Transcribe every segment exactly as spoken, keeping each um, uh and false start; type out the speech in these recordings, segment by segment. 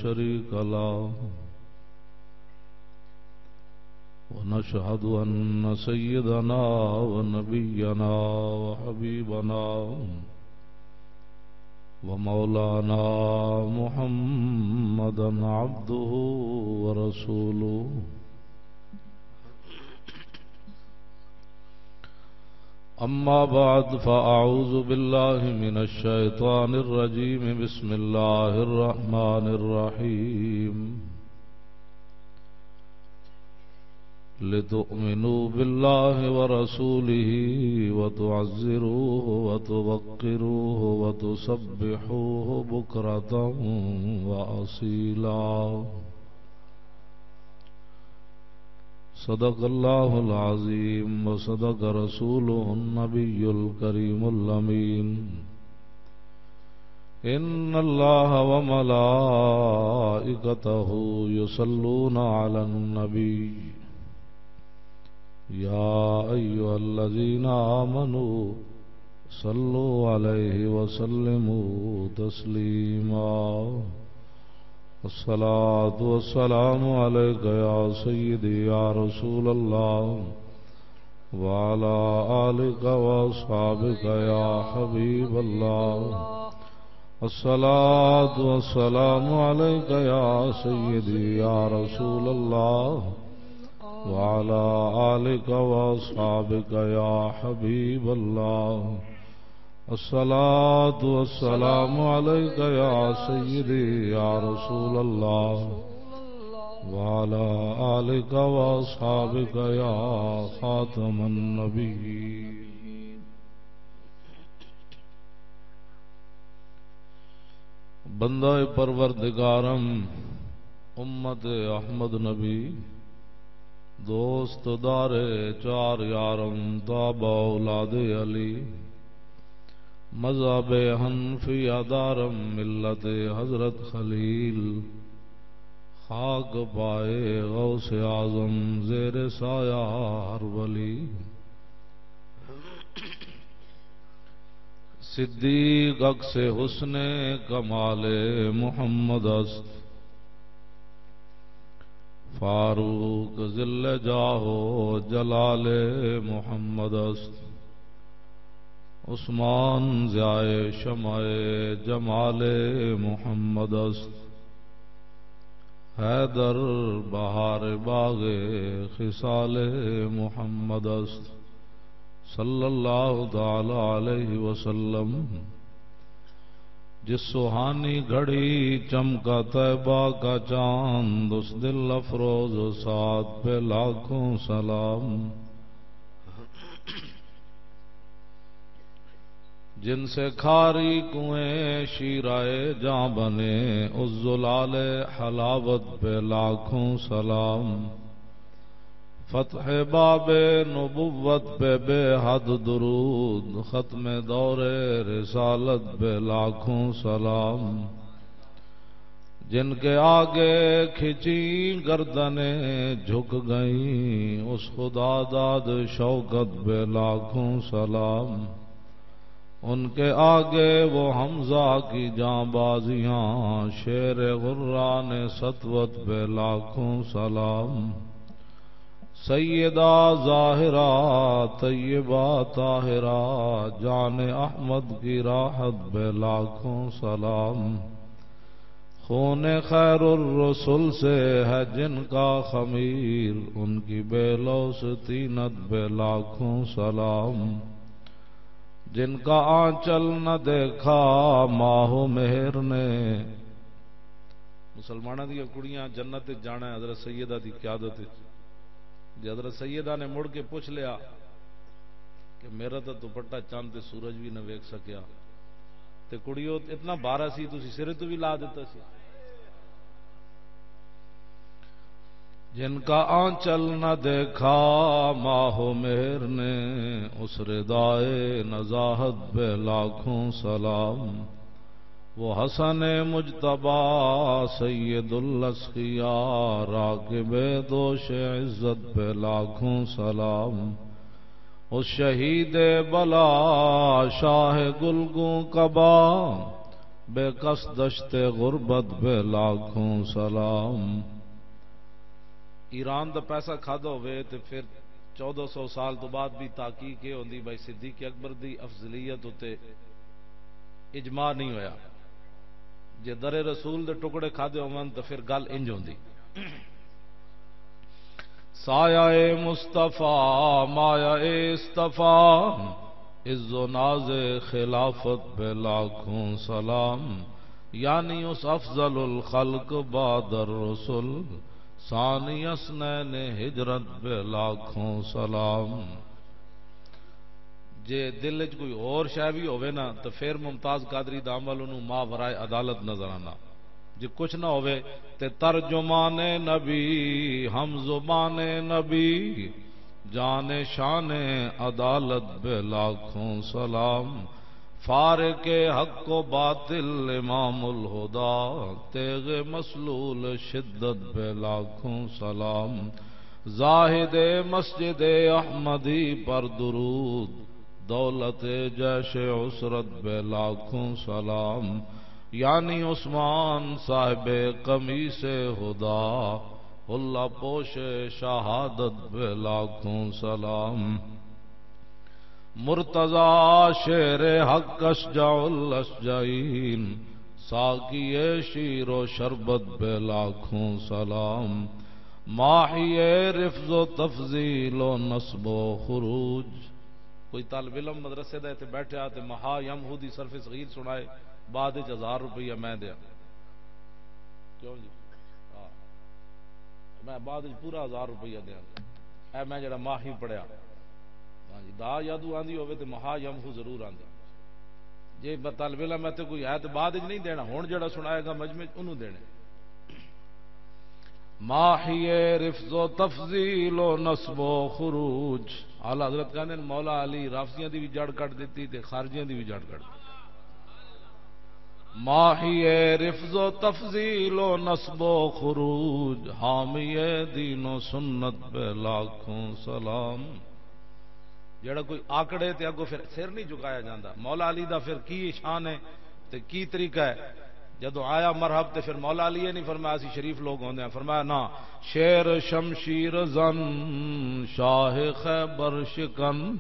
شريك له، ونشهد أن سيدنا ونبينا وحبيبنا ومولانا محمدا عبده ورسوله. أما بعد، فأعوذ بالله من الشيطان الرجيم. بسم الله الرحمن الرحيم. لتؤمنوا بالله ورسوله وتعزروه وتوقروه وتسبحوه بكرة وأصيلا. صدق الله العظيم وصدق رسوله النبي الكريم الأمين. إن الله وملائكته يصلون على النبي، يا أيها الذين آمنوا صلوا عليه وسلموا تسليما. الصلاة والسلام عليك يا سيدي يا رسول الله، وعلى آلك وأصحابك يا حبيب الله. الصلاة والسلام عليك يا سيدي يا رسول الله، وعلى آلك وأصحابك يا حبيب الله. الصلاة والسلام عليك يا سيدي يا رسول الله، وعلى آلك وأصحابك يا خاتم النبيين. بندہ پروردگارم، امت احمد نبی، دوست دار چار یارم، تابع اولاد علی، مذہب حنفیہ دارم، ملت حضرت خلیل، خاک پائے غوث اعظم، زیر سایہ ہر ولی۔ صدیق عکس حسن کمال محمد است، فاروق ذل جاہ و جلال محمد است، عثمان ضیاء شمع جمال محمد است، حیدر بہار باغ خصال محمد است، صلی اللہ تعالی علیہ وسلم۔ جس سہانی گھڑی چمکا طیبہ کا چاند، اس دل افروز و سعد پہ لاکھوں سلام۔ جن سے کھاری کنویں شیرائے جاں بنے، اس زلال حلاوت پہ لاکھوں سلام۔ فتح باب نبوت پہ بے حد درود، ختم دور رسالت پہ لاکھوں سلام۔ جن کے آگے کھچی گردنیں جھک گئیں، اس خدا داد شوکت پہ لاکھوں سلام۔ ان کے آگے وہ حمزہ کی جاں بازیاں، شیر غران سطوت پہ لاکھوں سلام۔ سیدہ زاہرہ طیبہ طاہرہ، جان احمد کی راحت پہ لاکھوں سلام۔ خون خیر الرسل سے ہے جن کا خمیر، ان کی بے لوث طینت پہ لاکھوں سلام۔ جن کا آنچل نہ دیکھا ماہ و مہر نے۔ مسلماناں دیاں کڑیاں جنت وچ جانا ہے حضرت سیدہ دی قیادت وچ۔ جے حضرت سیدہ نے مڑ کے پوچھ لیا کہ میرا تاں دوپٹہ چند تے سورج بھی نہ ویکھ سکیا، تے کڑیو اتنا بارہ سی، تسی سرے تو بھی لا دیتا سی۔ جن کا آنچل نہ دیکھا ماہ و مہر نے، اس ردائے نزاہت پہ لاکھوں سلام۔ وہ حسن مجتبیٰ سید الاسقیاء، راکب دوش عزت پہ لاکھوں سلام۔ اس شہید بلا شاہ گلگوں قبا، بے کس دشت غربت بے لاکھوں سلام۔ ایران دا پیسہ کھادا ہوئے تے پھر چودہ سو سال تو بعد بھی تحقیق یہ ہوندی بھائی صدیق اکبر دی افضلیت اتے اجماع نہیں ہویا۔ جے در رسول دے ٹکڑے کھادے ہون تو پھر گل انج ہوندی۔ سایہ مصطفیٰ، مایہ اصطفیٰ، عز و ناز خلافت پہ لاکھوں سلام۔ یعنی اس افضل الخلق بعد الرسل، ثانی اثنین ہجرت پہ لاکھوں سلام۔ جے دل وچ کوئی اور شے بھی ہووے نا، تے پھر ممتاز قادری دا عمل اونوں ما ورائے عدالت نظر آندا۔ جے کچھ نہ ہووے، تے ترجمان نبی، ہم زبان نبی، جان شان عدالت بے لاکھوں سلام۔ فارق حق و باطل امام الہدا، تیغ مسلول شدت بے لاکھوں سلام۔ زاہد مسجد احمدی پر درود، دولت جیش عسرت بے لاکھوں سلام۔ یعنی عثمان صاحب قمیص ہدا، اللہ پوش شہادت بے لاکھوں سلام۔ مرتضی شیر حق اشجع الاشجعین، ساقی شیر و شربت بے لاکھوں سلام۔ ماحی رفض و تفضیل و نصب و خروج۔ کوئی طالب علم مدرسے دا اتنے بیٹھے آ تے مہا یم ہو دی صرف صغیر سنائے، بعد وچ ہزار روپیہ میں دیا۔ کیوں جی؟ ہاں۔ میں بعد وچ پورا ہزار روپیہ دیاں۔ اے میں جڑا ماہی پڑھیا۔ ہاں جی، دا یادو آندی ہوے تے مہا یمہو ضرور آندی۔ جے ب-، طالب علم میں تے کوئی ہے تے بعد وچ نہیں دینا، ہن جڑا سنائے گا مجمع وچ، انہوں دینے۔ ماہی رفض و تفضیل و نصب و خروج۔ اعلیٰ حضرت کہندے نے، مولا علی رافضیاں دی بھی جڑ کٹ دیتی تے خارجیاں دی بھی جڑ کٹ دیتی۔ ماہی رفض و تفضیل و نصب و خروج، حامی دین و سنت پہ لاکھوں سلام۔ جڑا کوئی آکڑے تے اگوں پھر سر نہیں جھکایا جاندا۔ مولا علی دا پھر کی شان ہے تے کی طریقہ ہے؟ جدوں آیا مرحب تے پھر مولا علی یہ نہیں فرمایا، "اسی شریف لوگ ہوندے ہیں۔" فرمایا، "نہ، شیر شمشیر زن، شاہ خیبر شکن۔"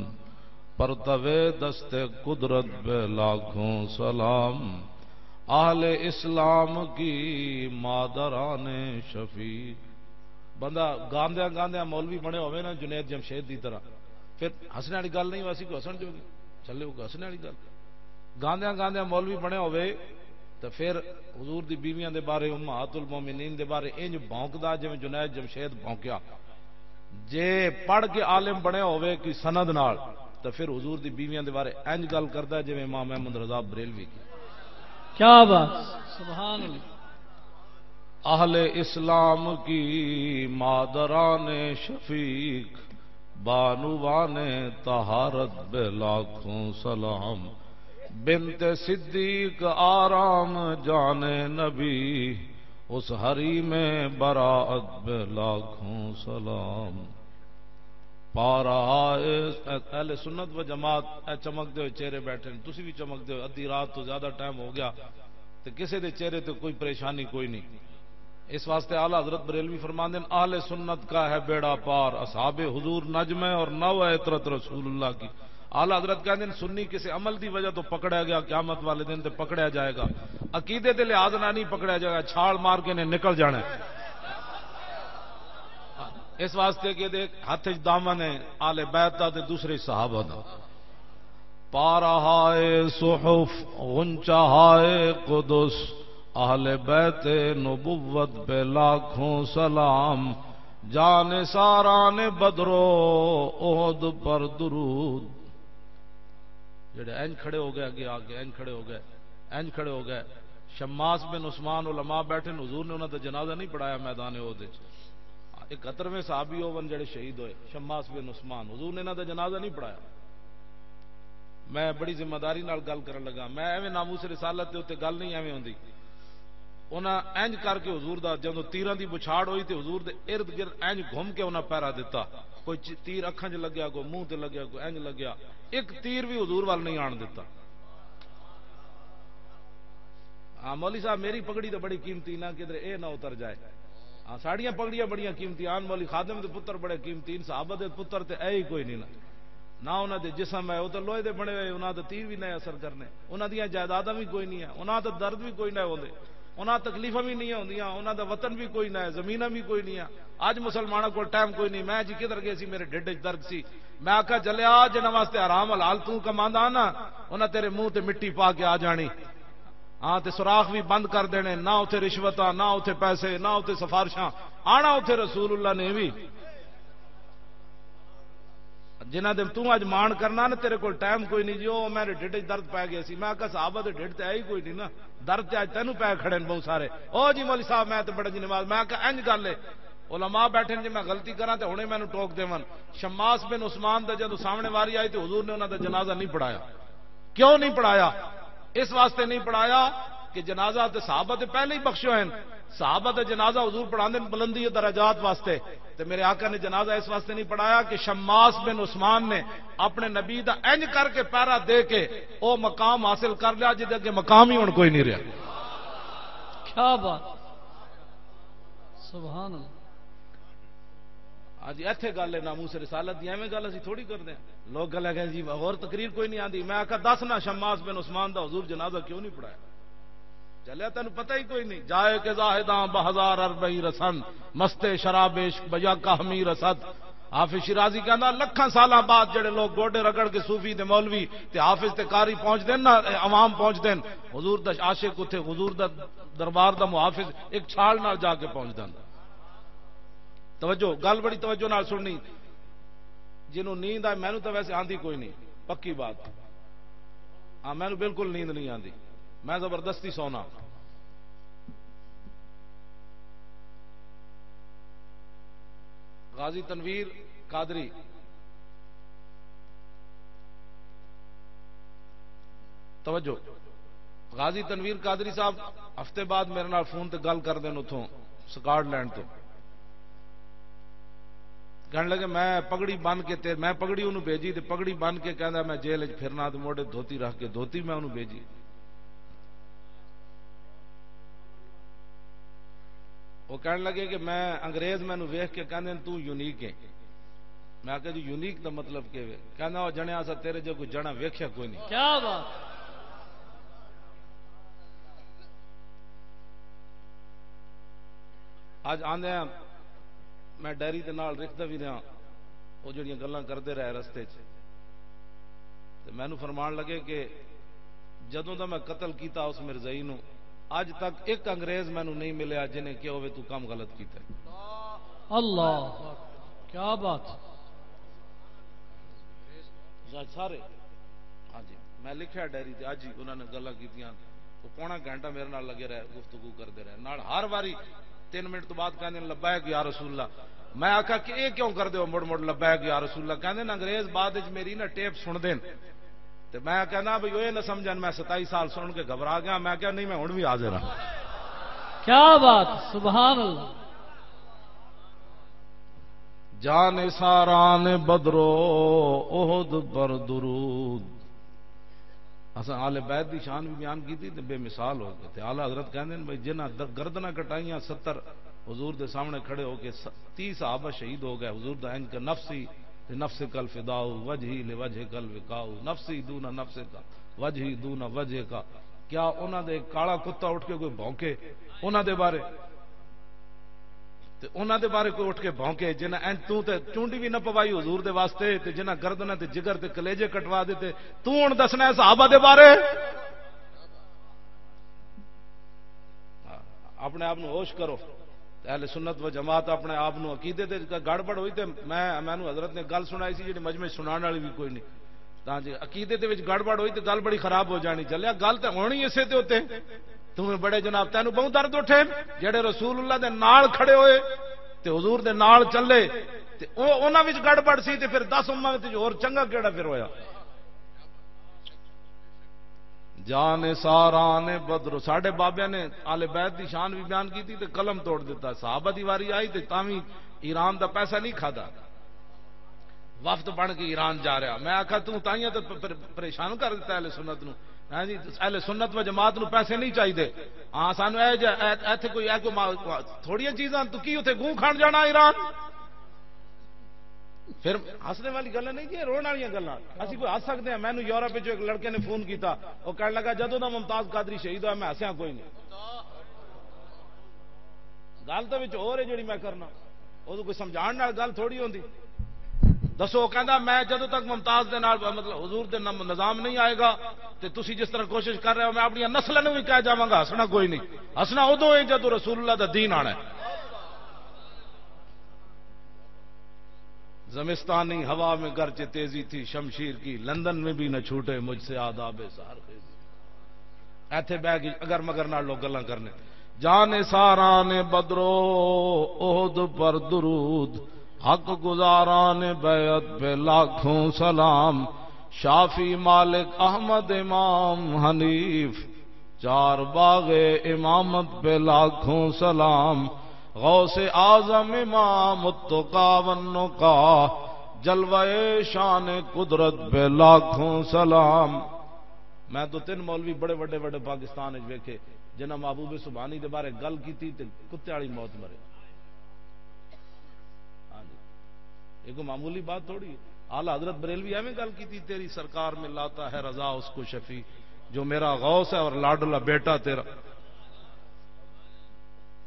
پرتوے دست قدرت پہ لاکھوں سلام۔ اہل اسلام کی مادران شفیق۔ بندہ گاندیاں گاندیاں مولوی بنے ہوئے نا جنید جمشید دی طرح، پھر ہسنے والی گل نہیں، ویسی کوئی ہسن جو گی، چلے وہ ہسنے والی گل۔ گاندیاں گاندیاں مولوی بنے ہوئے تو پھر حضور دی بیویاں دے بارے، امہات المومنین دے بارے انج بھونکدا جویں جنید جمشید بھونکیا۔ جے پڑھ کے عالم بنیا ہوئے کوئی سند نال، تو پھر حضور دی بیویاں دے بارے انج گل کردا ہے جویں امام احمد رضا بریلوی کی۔ کیا بات، سبحان اللہ۔ اہل اسلام کی مادران شفیق، بانوان طہارت بے لاکھوں سلام۔ بنت صدیق آرام جان نبی، اس حریم براعت پہ لاکھوں سلام۔ پا رہا ہے، اہل سنت و جماعت، اے چمکدے ہوئے چہرے بیٹھے ہیں، تسی بھی چمکدے ہوئے، ادھی رات تو زیادہ ٹائم ہو گیا، تے کسے دے چہرے تے کوئی پریشانی کوئی نہیں۔ اس واسطے اعلیٰ حضرت بریلوی فرماندے ہیں، "اہل سنت کا ہے بیڑا پار، اصحاب حضور نجم ہے اور نو ہے عترت رسول اللہ کی۔" اعلیٰ حضرت کہندے ہیں، سنی کسی عمل دی وجہ تو پکڑا گیا، قیامت والے دن تے پکڑا جائے گا۔ عقیدے دے لحاظ نہ نہیں پکڑا جائے گا، چھال مار کے نے نکل جانا ہے۔ اس واسطے کہ دے ہاتھ وچ دامن ہے آل بیت دا تے دوسرے صحابہ دا۔ پا رہا ہے صحف غنچہ ہے قدس، اہل بیت نبوت پہ لاکھوں سلام۔ جان ساران بدر و احد پر درود۔ جڑے انج کھڑے ہو گئے، اگے آ کے انج کھڑے ہو گئے، انج کھڑے ہو گئے۔ شماس بن عثمان علماء بیٹھے نے، حضور نے انہاں دا جنازہ نہیں پڑھایا میدان احد وچ۔ اکہترویں صحابی ہون جڑے شہید ہوئے، شماس بن عثمان، حضور نے انہاں دا جنازہ نہیں پڑھایا۔ میں بڑی ذمہ داری نال گل کرن لگا، میں ایویں ناموس رسالت دے اُتے گل نہیں ایویں ہوندی۔ انہاں انج کر کے حضور دا، جدوں تیراں دی بچھاڑ ہوئی تے حضور دے ارد گرد انج گھم کے انہاں پہرا دتا۔ کوئی چ-، تیر اکھاں 'چ لگیا، کوئی منہ تے لگیا، کوئی انج لگیا۔ ایک تیر بھی حضور وال نہیں آن دتا۔ ہاں، مولوی صاحب، میری پگڑی تو بڑی قیمتی، نہ کدھر اے نہ اتر جائے۔ ہاں، ساڑیاں پگڑیاں بڑیاں قیمتی، آن مولوی خادم دے پتر بڑے قیمتی، ان صحابہ دے پتر تے اے ہی کوئی نہیں نا۔ نہ انہاں دے جسم ہے، وہ تو لوہے دے بنے ہوئے، انہاں دا تیر بھی نہ اثر کرنے، انہاں دیاں جائیداداں بھی کوئی نہیں ہے، انہاں دا درد بھی کوئی نہ ہوندے، انہاں تکلیفاں بھی نہیں ہوندیاں، انہاں دا وطن بھی کوئی نہ ہے، زمیناں بھی کوئی نہیں ہے۔ اج مسلماناں کول ٹائم کوئی نہیں۔ میں جی کدھر گئے سی، میرے ڈھڈ وچ درد سی، میں آکھیا، "جلیا، جنہاں واسطے حرام حلال توں کماندا نا، انہاں تیرے منہ تے مٹی پا کے آ جانی۔" ہاں، تے سوراخ بھی بند کر دینے، نہ اتھے رشوتاں، نہ اتھے پیسے، نہ اتھے سفارشاں، آنا اتھے رسول اللہ نے بھی۔ جنہاں دے توں اج مان کرنا نا، تیرے کول ٹائم کوئی نہیں جی، او میرے ڈھڈ وچ درد پے گئے سی۔ میں آکھیا، "صحابہ دے ڈھڈ تے ہے ہی کوئی نہیں نا، درد تے اج تینوں پے کھڑے نے بہت سارے۔" "او جی مولوی صاحب، میں تے بڑا جی نماز۔" میں آکھیا، "انج گل ہے۔" علماء بیٹھے نے، جے میں غلطی کراں تے ہنے مینوں ٹوک دیون۔ شماس بن عثمان دا جدوں سامنے واری آئی تے حضور نے انہاں دا جنازہ نہیں پڑھایا۔ کیوں نہیں پڑھایا؟ اس واسطے نہیں پڑھایا کہ جنازہ تے صحابہ تے پہلے ہی بخشے ہوئے ہیں۔ صحابہ تے جنازہ حضور پڑھاندے نے بلندی و درجات واسطے، تے میرے آقا نے جنازہ اس واسطے نہیں پڑھایا کہ شماس بن عثمان نے اپنے نبی دا انج کر کے پیرا دے کے او مقام حاصل کر لیا، جدے اگے مقام ہی ہن کوئی نہیں رہیا۔ کیا بات، سبحان اللہ۔ ہاں جی، ایتھے گل ہے ناموس رسالت دی، ایویں گل اسی تھوڑی کردے ہیں۔ لوگ گل ہے کہ جی، ہور تقریر کوئی نہیں آندی۔ میں آکھا، "دس نہ، شماس بن عثمان دا حضور جنازہ کیوں نہیں پڑھایا؟" چلیا، تینوں پتہ ہی کوئی نہیں۔ "جائے کہ زاہداں بہزار عربی رسند، مست شراب عشق بیا کہمی رسد۔" حافظ شیرازی کہندا، لکھاں سالاں بعد جڑے لوگ گوڈے رگڑ کے صوفی تے مولوی تے حافظ تے قاری پہنچ دین نا، عوام پہنچ دین، حضور دا عاشق اتھے، حضور دا دربار دا محافظ ایک چھال نال جا کے پہنچ دین۔ توجہ، گل بڑی توجہ نال سننی۔ جنوں نیند آئے، مینوں تو ویسے آندی کوئی نہیں، پکی بات۔ ہاں، مینوں بالکل نیند نہیں آندی، میں زبردستی سونا۔ غازی تنویر قادری، توجہ۔ غازی تنویر قادری صاحب ہفتے بعد میرے نال فون تے گل کر دین اتھوں، سکاٹ لینڈ تو۔ کہن لگے، "میں پگڑی بن کے تے، میں پگڑی انہوں بھیجی تے پگڑی بن کے کہندا، 'میں جیل وچ پھرنا'، تے موڈے دھوتی رکھ کے دھوتی میں انہوں بھیجی۔" وہ کہن لگے کہ میں انگریز مینوں ویکھ کے کہندے نے، "توں یونیک ہے۔" میں آکھیا، "جی، یونیک دا مطلب کی ہے؟" کہندا، "او جنیا، اسا تیرے جو کوئی جنا ویکھیا کوئی نہیں۔" کیا بات۔ اج آندے آں، میں ڈائری دے نال لکھدا وی رہیا، او جڑیاں گلاں کردے رہے رستے چ، تے مینوں فرمان لگے کہ جدوں دا میں قتل کیتا اس مرزائی نو، اج تک ایک انگریز مینوں نہیں ملیا جنہیں کہا ہوئے تو کم غلط کیتا ہے۔ اللہ اکبر۔ کیا بات۔ سارے، ہاں جی، میں لکھیا ڈائری تے، اج ہی انہاں نے گلاں کیتیاں۔ وہ پونا گھنٹہ میرے نال لگے رہے، گفتگو کردے رہے۔ نال ہر واری تین منٹ تو بعد کہندے نے، "لبیک یا رسول اللہ۔" میں آکھیا کہ اے کیوں کردے ہو مڑ مڑ لبیک یا رسول اللہ؟ کہندے نے، "انگریز بعد وچ میری نا ٹیپ سن دین۔" تے میں کہنا بھئی، "اوہ نہ سمجھن، میں ستائی سال سن کے گھبرا گیا۔" میں کہا، "نہیں، میں ہن بھی حاضر ہاں۔" کیا بات، سبحان اللہ۔ جان ساران بدرو احد پر درود۔ اساں آل بیت دی شان بھی بیان کیتی تے بے مثال ہو گئے۔ تے اعلیٰ حضرت کہندے نے بھئی، جنہاں در-، گردناں کٹائیاں ستر حضور دے سامنے کھڑے ہو کے، س-، تیس صحابہ شہید ہو گئے۔ حضور دا انج کہ نفسی لنفسک الفداء، وجہی لوجہک الوقاء، نفسی دون نفسک، وجہی دون وجہک۔ کیا انہاں دے کالا کتا اٹھ کے کوئی بھونکے انہاں دے بارے؟ تے انہاں دے بارے کوئی اٹھ کے بھونکے، جنہاں انج توں تے چونڈی بھی نہ پوائی حضور دے واسطے، تے جنہاں گردناں تے جگر تے کلیجے کٹوا دتے، توں ہن دسنا ہے صحابہ دے بارے؟ اپنے آپ نو ہوش کرو۔ تے اہل سنت و جماعت اپنے آپ نو عقیدے تے گڑبڑ ہوئی تے میں، مینوں حضرت نے گل سنائی سی جڑی مجمع سنان والی بھی کوئی نہیں۔ تاں جے عقیدے دے وچ گڑبڑ ہوئی تے گل بڑی خراب ہو جانی۔ چلیا، گل تے ہونی اسے تے اُتے۔ توں بڑے جناب، تینوں بہت درد اٹھے، جڑے رسول اللہ دے نال کھڑے ہوئے تے حضور دے نال چلے، تے او، انہاں وچ گڑبڑ سی تے پھر دس امت وچ ہور چنگا کیڑا پھر ہویا؟ جان ساران بدر، ساڈے بابیاں نے آل بیت دی شان بھی بیان کیتی تے قلم توڑ دیتا۔ صحابہ دی واری آئی تے تاں وی ایران دا پیسہ نہیں کھادا۔ وفد بن کے ایران جا رہا۔ میں آکھا، "توں تائیاں تے پ-، پر-، پریشان کر دیتا اہل سنت نو۔" ہاں جی، اہل سنت و جماعت نو پیسے نہیں چاہیے۔ ہاں، سانو اے جا-، اے-، ایتھے کوئی، اے کوئی ما-، تھوڑیاں چیزاں، تو کی اتھے گوں کھان جانا ایران؟ پھر ہسنے والی گلاں نہیں جی، رون والیاں گلاں۔ اسی کوئی ہس سکدے ہاں؟ مینوں یورپ وچ ایک لڑکے نے فون کیتا، وہ کہن لگا، "جدوں دا ممتاز قادری شہید ہویا، میں ہسیا کوئی نہیں۔" گل تو وچ ہو رہی جڑی میں کرنا، وہ کوئی سمجھان نال گل تھوڑی ہوندی۔ دسو، وہ کہندا، "میں جدوں تک ممتاز دے نال، مطلب حضور دے نم-، نظام نہیں آئے گا، تے تسی جس طرح کوشش کر رہے ہو، میں اپنی نسل نوں بھی کہہ جاواں گا، ہسنا کوئی نہیں۔ ہسنا ادوں ہے جدوں رسول اللہ دا دین آنا ہے۔" زمستانی ہوا میں گرچہ تیزی تھی شمشیر کی، لندن میں بھی نہ چھوٹے مجھ سے آداب سحر خیزی۔ ایتھے بہ کے اگر مگر نال لوگ گلاں کرنے۔ جان ساران بدرو احد پر درود، حق گزاران بیعت پہ لاکھوں سلام، شافی مالک احمد امام حنیف، چار باغ امامت پہ لاکھوں سلام، غوث اعظم امام التقا والنقا، جلوہ شان قدرت پہ لاکھوں سلام۔ میں تو تین مولوی بڑے وڈے وڈے پاکستان وچ ویکھے، جنہاں محبوب سبحانی دے بارے گل کیتی تے کتے والی موت مرے۔ ہاں جی، یہ کوئی معمولی بات تھوڑی ہے۔ اعلیٰ حضرت بریلوی ایویں گل کیتی، "تیری سرکار میں لاتا ہے رضا اس کو شفیع، جو میرا غوث ہے اور لاڈلا بیٹا تیرا۔"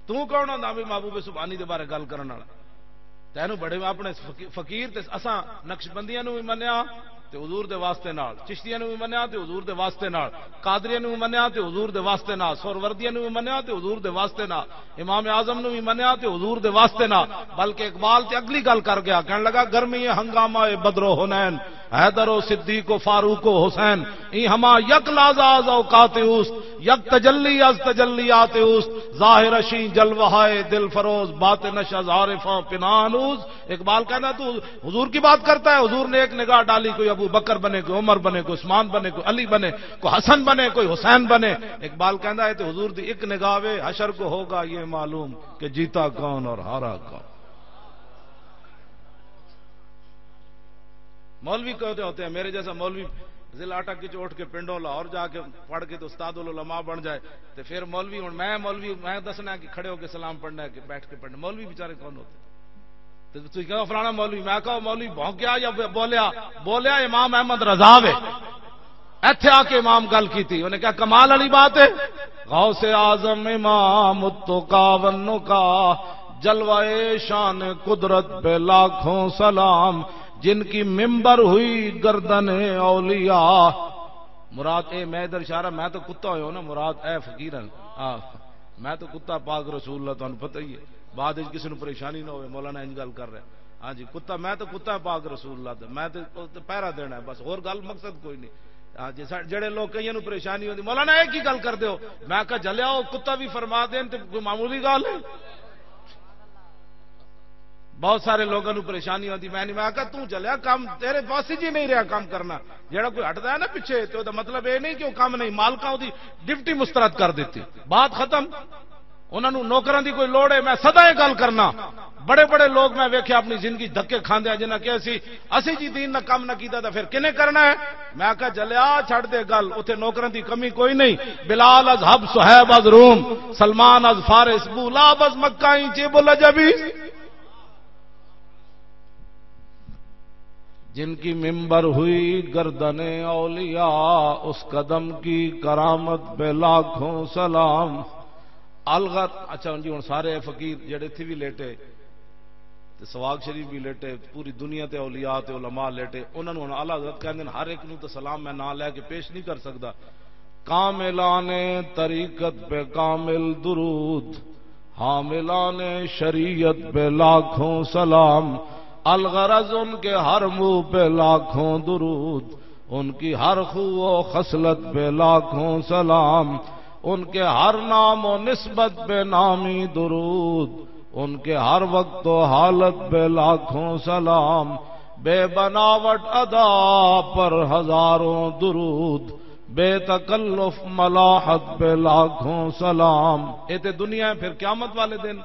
تو کون ہوندا بھی محبوب سبحانی دے بارے گل کرن والا؟ تینوں بڑے اپنے فقی-، فقیر تے اساں نقشبندیاں نوں بھی منیا تے حضور دے واسطے نال، چشتیاں نوں بھی منیا تے حضور دے واسطے نال، قادریاں نوں بھی منیا تے حضور دے واسطے نال، سہروردیاں نوں بھی منیا تے حضور دے واسطے نال، امام اعظم نوں بھی منیا تے حضور دے واسطے نال۔ بلکہ اقبال تے اگلی گل کر گیا، کہن لگا، "گرمی ہنگامہ بدر و حنین، حیدر و صدیق و فاروق و حسین، ای ہما یک لحظہ از اوقات اوست، یک تجلی از تجلیات اوست، ظاہر اشیں جلوہ دل فروز، باطن اش از عارفاں پنہان اوست۔" اقبال کہنا، تو حضور کی بات کرتا ہے؟ حضور نے ایک نگاہ ڈالی، کوئی ابو بکر بنے، کوئی عمر بنے، کوئی عثمان بنے، کوئی علی بنے، کوئی حسن بنے، کوئی حسین بنے۔ اقبال کہندا ہے، تو حضور دی ایک نگاہ وے، حشر کو ہوگا یہ معلوم کہ جیتا کون اور ہارا کون۔ مولوی کہتے ہوتے ہیں، میرے جیسا مولوی ضلع اٹک کے اٹھ کے پنڈوں لاہور جا کے پڑھ کے تو استاد العلماء بن جائے، تو پھر مولوی، ہن میں مولوی، میں دسنا کہ کھڑے ہو کے سلام پڑھنا ہے کہ بیٹھ کے پڑھنا، مولوی بیچارے کون ہوتے؟ تو تسی کہو فلانا مولوی، میں کہو مولوی بھونکیا یا بولیا؟ بولیا امام احمد رضا وے۔ ایتھے آ کے امام گل کیتی، انہیں کہا، "کمال والی بات ہے۔" غوث اعظم امام التقا والنقا، جلوہ شان قدرت پہ لاکھوں سلام، جن کی ممبر ہوئی گردن اولیاء۔ مراد اے، میں ادھر اشارہ، میں تو کتا ہویا ہوں نا، مراد اے فقیر ہیں۔ آ، میں تو کتا پاک رسول اللہ، تانوں پتہ ہی ہے۔ بعد وچ کسی نوں پریشانی نہ ہوئے، مولانا انج گل کر رہا ہے۔ ہاں جی، کتا، میں تو کتا پاک رسول اللہ دا، میں تو، تو پہرا دینا ہے بس، اور گل مقصد کوئی نہیں۔ ہاں جی، سا-، جڑے لوگ کئیاں نوں پریشانی ہوندی، "مولانا، یہ کی گل کردے ہو؟" میں کہا، "جلیا، وہ کتا بھی فرما دین تے کوئی معمولی گل ہے؟" بہت سارے لوگاں نوں پریشانی ہوندی، میں نہیں، میں کہا، "توں جلیا، کام تیرے پاس ہی نہیں رہیا کام کرنا۔" جڑا کوئی ہٹدا ہے نا پیچھے، تے او دا مطلب یہ نہیں کہ وہ کام نہیں، مالکاں دی ڈیوٹی مسترد کر دیتی، بات ختم۔ انہاں نوں نوکراں دی کوئی لوڑ ہے؟ میں سدا یہ گل کرنا، بڑے بڑے لوگ میں ویکھے اپنی زندگی دھکے کھاندے، جنہاں کہیا سی، "اسی جی دین نہ کم نہ کیتا، تاں پھر کنے کرنا ہے؟" میں آکھیا، "جلیا، چھڈ دے گل، اوتھے نوکراں دی کمی کوئی نہیں۔ بلال از حب، صہیب از روم، سلمان از فارس، بولاب از مکہ، این چی بولا جبی۔" جن کی ممبر ہوئی گردن اولیاء، اس قدم کی کرامت پہ لاکھوں سلام۔ الغر، اچھا جی، ہن سارے فقیر جڑے تھی بھی لیٹے، تے سواگ شریف بھی لیٹے، پوری دنیا تے اولیاء تے علماء لیٹے، انہاں نوں ہن اعلیٰ حضرت کہندے نے، ہر ایک نوں تے سلام میں نام لے کے پیش نہیں کر سکدا۔ کاملان طریقت پہ کامل درود، حاملان شریعت پہ لاکھوں سلام، الغرض ان کے ہر منہ پہ لاکھوں درود، ان کی ہر خو و خصلت پہ لاکھوں سلام، ان کے ہر نام و نسبت پہ نامی درود، ان کے ہر وقت و حالت پہ لاکھوں سلام، بے بناوٹ ادا پر ہزاروں درود، بے تکلف ملاحت پہ لاکھوں سلام۔ اے تے دنیا ہے، پھر قیامت والے دن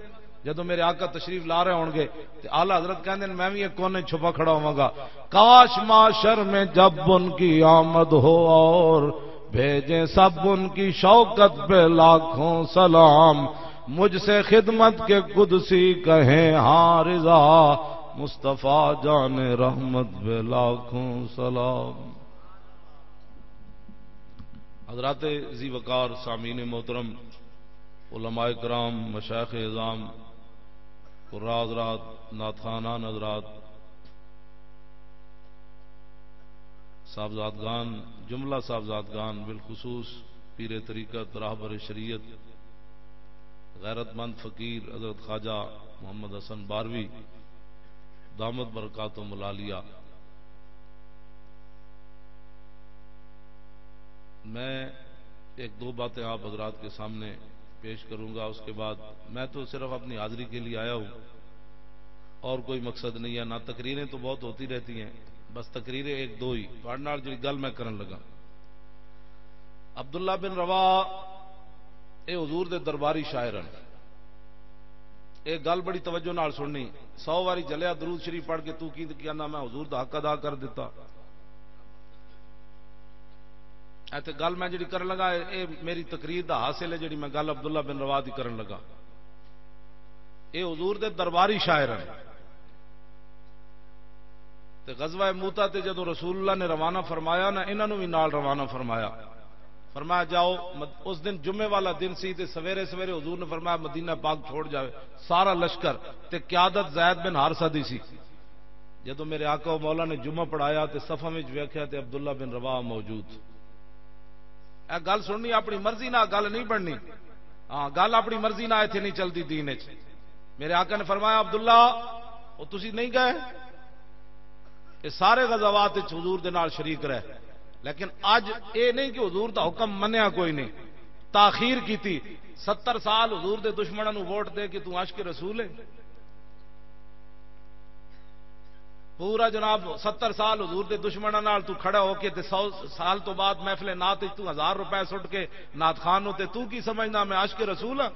جدوں میرے آقا تشریف لا رہے ہون گے، تے اعلیٰ حضرت کہندے نے، میں بھی ایک کونے چھپا کھڑا ہوواں گا۔ کاش محشر میں جب ان کی آمد ہو اور بھیجیں سب ان کی شوکت پہ لاکھوں سلام۔ مجھ سے خدمت کے قدسی کہیں ہاں رضا، مصطفیٰ جان رحمت پہ لاکھوں سلام۔ حضرات ذی وقار، سامعین محترم، علماء کرام، مشائخ عظام، قراء حضرات، نعت خوانان حضرات، صاحبزادگان، جملہ صاحبزادگان، بالخصوص پیر طریقت، راہبر شریعت، غیرت مند فقیر حضرت خواجہ محمد حسن باروی، دامت برکاتہم العالیہ۔ میں ایک دو باتیں آپ حضرات کے سامنے پیش کروں گا۔ اس کے بعد میں تو صرف اپنی حاضری کے لیے آیا ہوں، اور کوئی مقصد نہیں ہے۔ نہ، تقریریں تو بہت ہوتی رہتی ہیں، بس تقریریں ایک دو ہی۔ تہاڈے نال جڑی گل میں کرن لگا، عبداللہ بن روا، اے حضور دے درباری شاعر ہیں۔ اے گل بڑی توجہ نال سننی۔ سو واری جلیا درود شریف پڑھ کے تو کی کہنا، میں حضور دا حق ادا کر دیتا۔ اے تے گل میں جڑی کرن لگا، اے، اے میری تقریر دا حاصل ہے، جڑی میں گل عبداللہ بن روا دی کرن لگا۔ اے حضور دے درباری شاعر ہیں۔ تے غزوہ موتا تے جدوں رسول اللہ نے روانہ فرمایا نا، انہاں نوں بھی نال روانہ فرمایا۔ فرمایا، "جاؤ۔" مد-، اس دن جمعے والا دن سی تے سویرے سویرے حضور نے فرمایا، "مدینہ پاک چھوڑ جاوے۔" سارا لشکر تے قیادت زید بن حارثہ دی سی۔ جدوں میرے آقا و مولا نے جمعہ پڑھایا تے صفاں وچ ویکھیا تے عبداللہ بن رواحہ موجود۔ اے گل سننی، اپنی مرضی نال گل نہیں بننی۔ ہاں، گل اپنی مرضی نال ایتھے نہیں چلدی دین وچ۔ میرے آقا نے فرمایا، "عبداللہ، او تسی نہیں گئے؟ اے سارے غزوات وچ حضور دے نال شریک رہے، لیکن اج اے نہیں کہ حضور دا حکم منیا کوئی نہیں، تاخیر کیتی۔ ستر سال حضور دے دشمناں نوں ووٹ دے کے تو عاشق رسول ہے۔" پورا جناب ستر سال حضور دے دشمناں نال تو کھڑا ہو کے تے سو سال تو بعد محفل نعت وچ تو ہزار روپے سٹ کے نعت خان نوں، تے تو کی سمجھنا میں عاشق رسول ہاں؟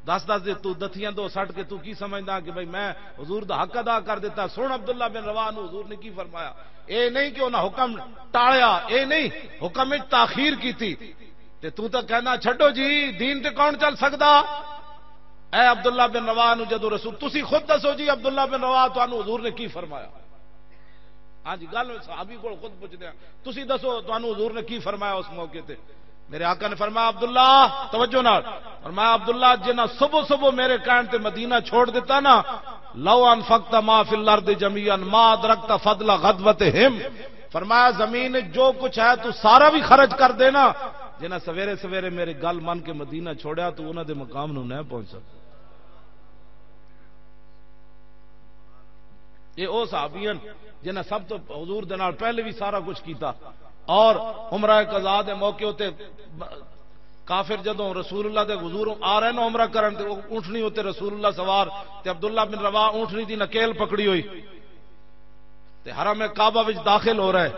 دس دس دے تو دتھیاں دو سٹ کے تو کی سمجھنا کہ بھئی میں حضور دا حق ادا کر دیتا؟ سن عبداللہ بن رواحہ نو حضور نے کی فرمایا۔ اے نہیں کہ انہاں حکم ٹالیا، اے نہیں، حکم وچ تاخیر کیتی۔ تے تو تاں کہنا، "چھڈو جی، دین تے کون چل سکدا؟" اے عبداللہ بن رواحہ نو جدوں رسول، تسی خود دسو جی، عبداللہ بن رواحہ تانوں حضور نے کی فرمایا؟ ہاں جی، گل صحابی کول خود پوچھدے ہیں، تسی دسو تانوں حضور نے کی فرمایا اس موقع تے؟ میرے آقا نے فرمایا، "عبداللہ"، توجہ نال فرمایا، "عبداللہ، جنہاں صبح صبح میرے کہن تے مدینہ چھوڑ دیتا نا، لو انفقت ما فی الارض جمیعا ما ادرکت فضل غدوتہم۔" فرمایا، "زمین وچ جو کچھ ہے تو سارا بھی خرچ کر دینا، جنہاں سویرے سویرے میرے گل من کے مدینہ چھوڑیا تو انہاں دے مقام نو نہ پہنچ سکتا۔" یہ او صحابی ہیں جنہاں سب تو حضور دے نال پہلے بھی سارا کچھ کیتا۔ اور عمرہ قضا دے موقع تے کافر جدوں رسول اللہ دے حضور آ رہے نا عمرہ کرن، تے او اونٹنی اتے رسول اللہ سوار، تے عبداللہ بن رواحہ اونٹنی دی نکیل پکڑی ہوئی، تے حرم کعبہ وچ داخل ہو رہے۔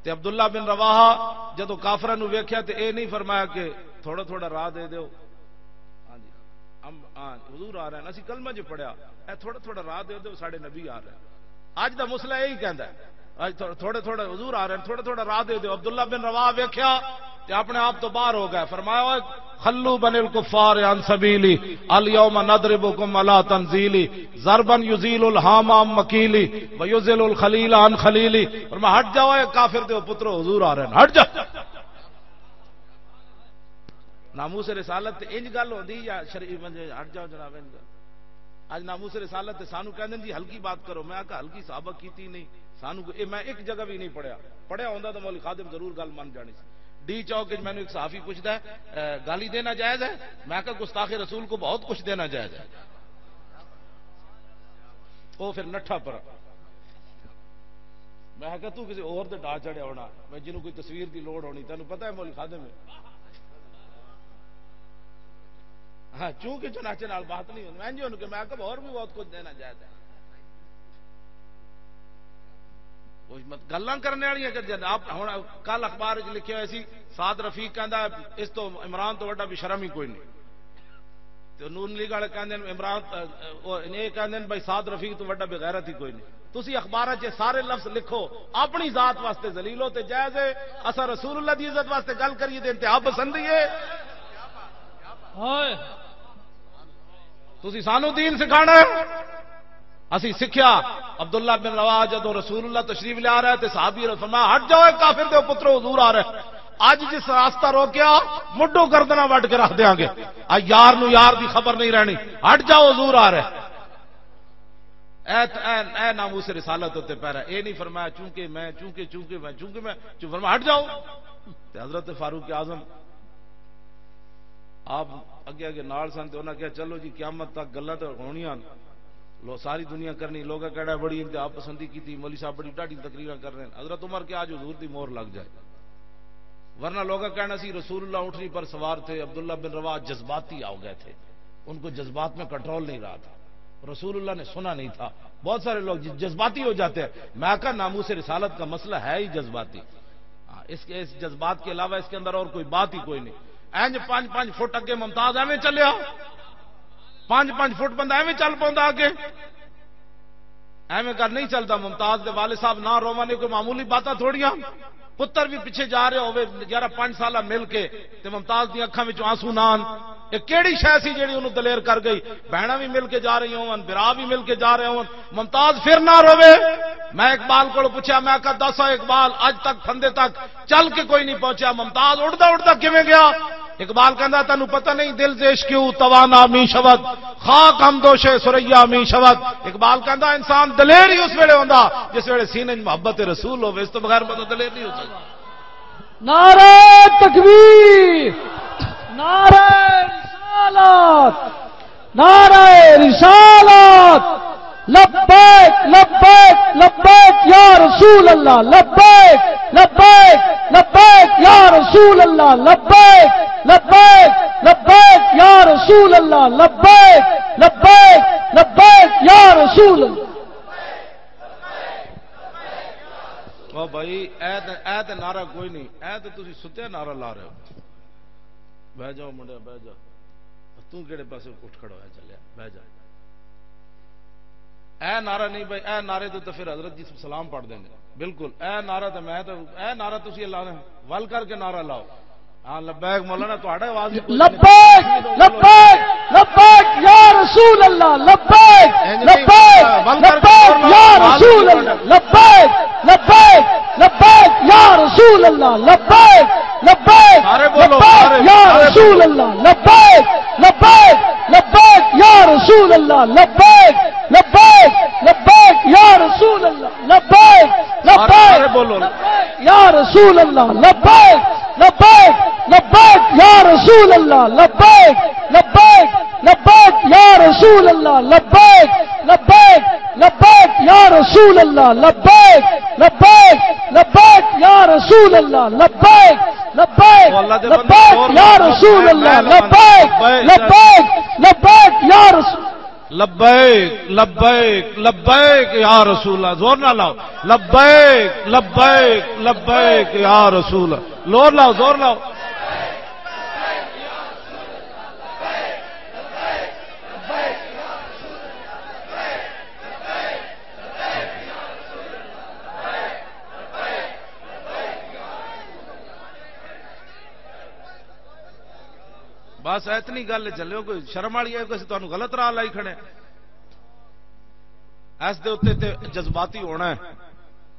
تے عبداللہ بن رواحہ جدوں کافراں نو ویکھیا تے اے نہیں فرمایا کہ تھوڑا تھوڑا راہ دے دیو۔ ہاں جی، ہم، ہاں، حضور آ رہے ہیں، اسی کلمہ جو پڑھیا، اے تھوڑا تھوڑا راہ دے دیو، ساڈے نبی آ رہے ہیں۔ اج دا مسئلہ یہی کہندا ہے، اج تھو-، تھوڑے تھوڑے حضور آ رہے ہیں، تھوڑا تھوڑا راہ دے دیو۔ عبداللہ بن رواحہ ویکھیا تے اپنے آپ تو باہر ہو گیا، فرمایا، "اوئے، خلو بن الکفار عن سبیلی، الیوم نضربکم علی تنزیلی، ضربا یزیل الہام عن مکیلی، و یزیل الخلیل عن خلیلی۔" فرمایا، "ہٹ جاؤ اے کافر دے پترو، حضور آ رہے ہیں، ہٹ جاؤ۔" ناموس رسالت تے انج گل ہوندی یا شرعی بندے، ہٹ جاؤ جناب، انج گل۔ اج ناموس رسالت تے سانو کہندے جی ہلکی بات کرو، میں آکھا ہلکی صحابہ کیتی نہیں، سانو کوئی، اے میں ایک جگہ بھی نہیں پڑھیا، پڑھیا ہوندا تو مولوی خادم ضرور گل من جانی سی۔ ڈی چوک وچ مینوں ایک صحافی پوچھدا ہے، "اے، گالی دینا جائز ہے؟" میں کہا، "گستاخ رسول کو بہت کچھ دینا جائز ہے۔" وہ پھر نٹھا پر۔ میں کہا، "تو کسی اور تے ڈا چڑھیا ہونا، میں جنہوں کوئی تصویر دی لوڑ ہونی، تینوں پتہ ہے مولوی خادم ہے۔" ہاں، چونکہ چنانچہ نال بات نہیں ہوندی۔ میں جی انہوں کہ میں کہا، "اور بھی بہت کچھ دینا جائز ہے۔" وہ مت-، گلاں کرنے والیاں کہ جناب، ہن کل اخبار وچ لکھیا ہویا سی، سعد رفیق کہندا، "اس تو عمران تو وڈا بے شرم ہی کوئی نہیں۔" تے نون لیگ والے کہندے نے عمران، اہ، اہ، او یہ کہندے نے بھائی سعد رفیق تو وڈا بغیرت ہی کوئی نہیں۔ تسی اخباراں 'چ سارے لفظ لکھو، اپنی ذات واسطے ذلیل ہو تے جائز ہے، اساں رسول اللہ دی عزت واسطے گل کریے تے انتہا پسندی ہے۔ ہائے۔ تسی سانو دین سکھانا ہے؟ اسی سکھیا، عبداللہ بن رواحہ جدوں رسول اللہ تشریف لیا رہا ہے تے صحابی نے فرمایا، "ہٹ جاؤ، اے کافر دے پترو، حضور آ رہا ہے۔" اج جس راستہ روکیا، مڈو گردنا وڈ کے رکھ دیاں گے۔ آ یار نو یار دی خبر نہیں رہنی۔ ہٹ جاؤ، حضور آ رہا ہے۔ اے، اے، اے ناموس رسالت ہوتے پہ رہا۔ اے نہیں فرمایا، "چونکہ میں، چونکہ، چونکہ میں، چونکہ میں۔" چون فرمایا، "ہٹ جاؤ۔" تے حضرت فاروق اعظم آپ اگے اگے نال سن تے انہاں کہیا، "چلو جی، قیامت تک گلاں تے ہونیاں، لو ساری دنیا کرنی، لوگاں کہنا بڑی انتہا پسندی کیتی، مولوی صاحب بڑی ڈاڈھی تقریراں کر رہے ہیں۔" حضرت عمر کہیا، "آج حضور دی مہر لگ جائے۔" ورنہ لوگاں کہنا سی، "رسول اللہ اونٹنی پر سوار تھے، عبداللہ بن رواحہ جذباتی ہو گئے تھے، ان کو جذبات میں کنٹرول نہیں رہا تھا، رسول اللہ نے سنا نہیں تھا۔" بہت سارے لوگ ج-، جذباتی ہو جاتے ہیں۔ میں کہا، ناموس رسالت کا مسئلہ ہے ہی جذباتی۔ ہاں، اس کے، اس جذبات کے علاوہ اس کے اندر اور کوئی بات ہی کوئی نہیں۔ اینج پانچ پانچ فٹ اگے ممتاز ایویں چلیا، پانچ پانچ فٹ بندہ ایویں چل پوندا اگے۔ ایویں کر نہیں چلدا۔ ممتاز دے والد صاحب نہ روون، یہ کوئی معمولی باتاں تھوڑیاں۔ پتر بھی پیچھے جا رہے ہوئے، گیارہ پانچ سالہ مل کے، تے ممتاز دی اکھاں وچوں آنسو نہ آن۔ یہ کیڑی شے سی جیڑی انہوں دلیر کر گئی؟ بہناں بھی مل کے جا رہی ہون، برا بھی مل کے جا رہے ہون، ممتاز پھر نہ روے۔ میں اقبال کو پوچھا، میں کہا، "دسا اقبال، اج تک پھندے تک چل کے کوئی نہیں پہنچا، ممتاز اڑدا اڑدا کیویں گیا؟" اقبال کہندا، "تینوں پتہ نہیں، دل زیش کیوں توانا می شود، خاک ہم دوشے سریا می شود۔" اقبال کہندا، "انسان دلیر ہی اس ویلے ہوندا جس ویلے سینے 'چ محبت رسول ہوے، اس تو بغیر بندہ دلیر نہیں ہو سکدا۔" نعرہ تکبیر، نعرہ رسالت، نعرہ رسالت، لبیک، لبیک، لبیک یا رسول اللہ، لبیک، لبیک، لبیک یا رسول اللہ، لبیک، لبیک، لبیک یا رسول اللہ، لبیک، لبیک، لبیک یا رسول اللہ۔ او بھائی، اے تے، اے تے نعرہ کوئی نہیں، اے تے تسی ستیا نعرہ لا رہے ہو۔ بہ جاؤ منڈیا، بہ جاؤ۔ توں کیڑے پاسے اٹھ کھڑا ہویا چلیا؟ بہ جا۔ اے نعرہ نہیں بھائی، اے نعرے تو، تو پھر حضرت جی سلام پڑھ دیں گے۔ بالکل، اے نعرہ تو میں تو، اے نعرہ تسی اللہ نے ول کر کے نعرہ لاؤ۔ ہاں، لبیک مولانا، تہاڈا آواز بھی کوئی نہیں۔ لبیک، لبیک، لبیک یا رسول اللہ، لبیک، لبیک، لبیک یا رسول اللہ، لبیک، لبیک، لبیک یا رسول اللہ، لبیک، لبیک، لبیک یا رسول اللہ، لبیک، لبیک، لبیک یا رسول اللہ، لبیک، لبیک، لبیک یا رسول اللہ، لبیک، لبیک، لبیک یا رسول اللہ، لبیک، لبیک، لبیک یا رسول اللہ، لبیک، لبیک، لبیک یا رسول اللہ، لبیک، لبیک، لبیک یا رسول اللہ، لبیک، لبیک، لبیک یا رسول اللہ، لبیک، لبیک، لبیک یا رسول اللہ، لبیک، لبیک، لبیک یا رسول۔ لبیک، لبیک، لبیک یا رسول اللہ، زور نہ لاؤ۔ لبیک، لبیک، لبیک یا رسول اللہ۔ زور لاؤ، زور لاؤ۔ بس اتنی گل ہے، چلو کوئی شرم والی ہے، کوئی تانوں غلط راہ لائی کھڑے۔ اس دے اوتے تے جذباتی ہونا ہے۔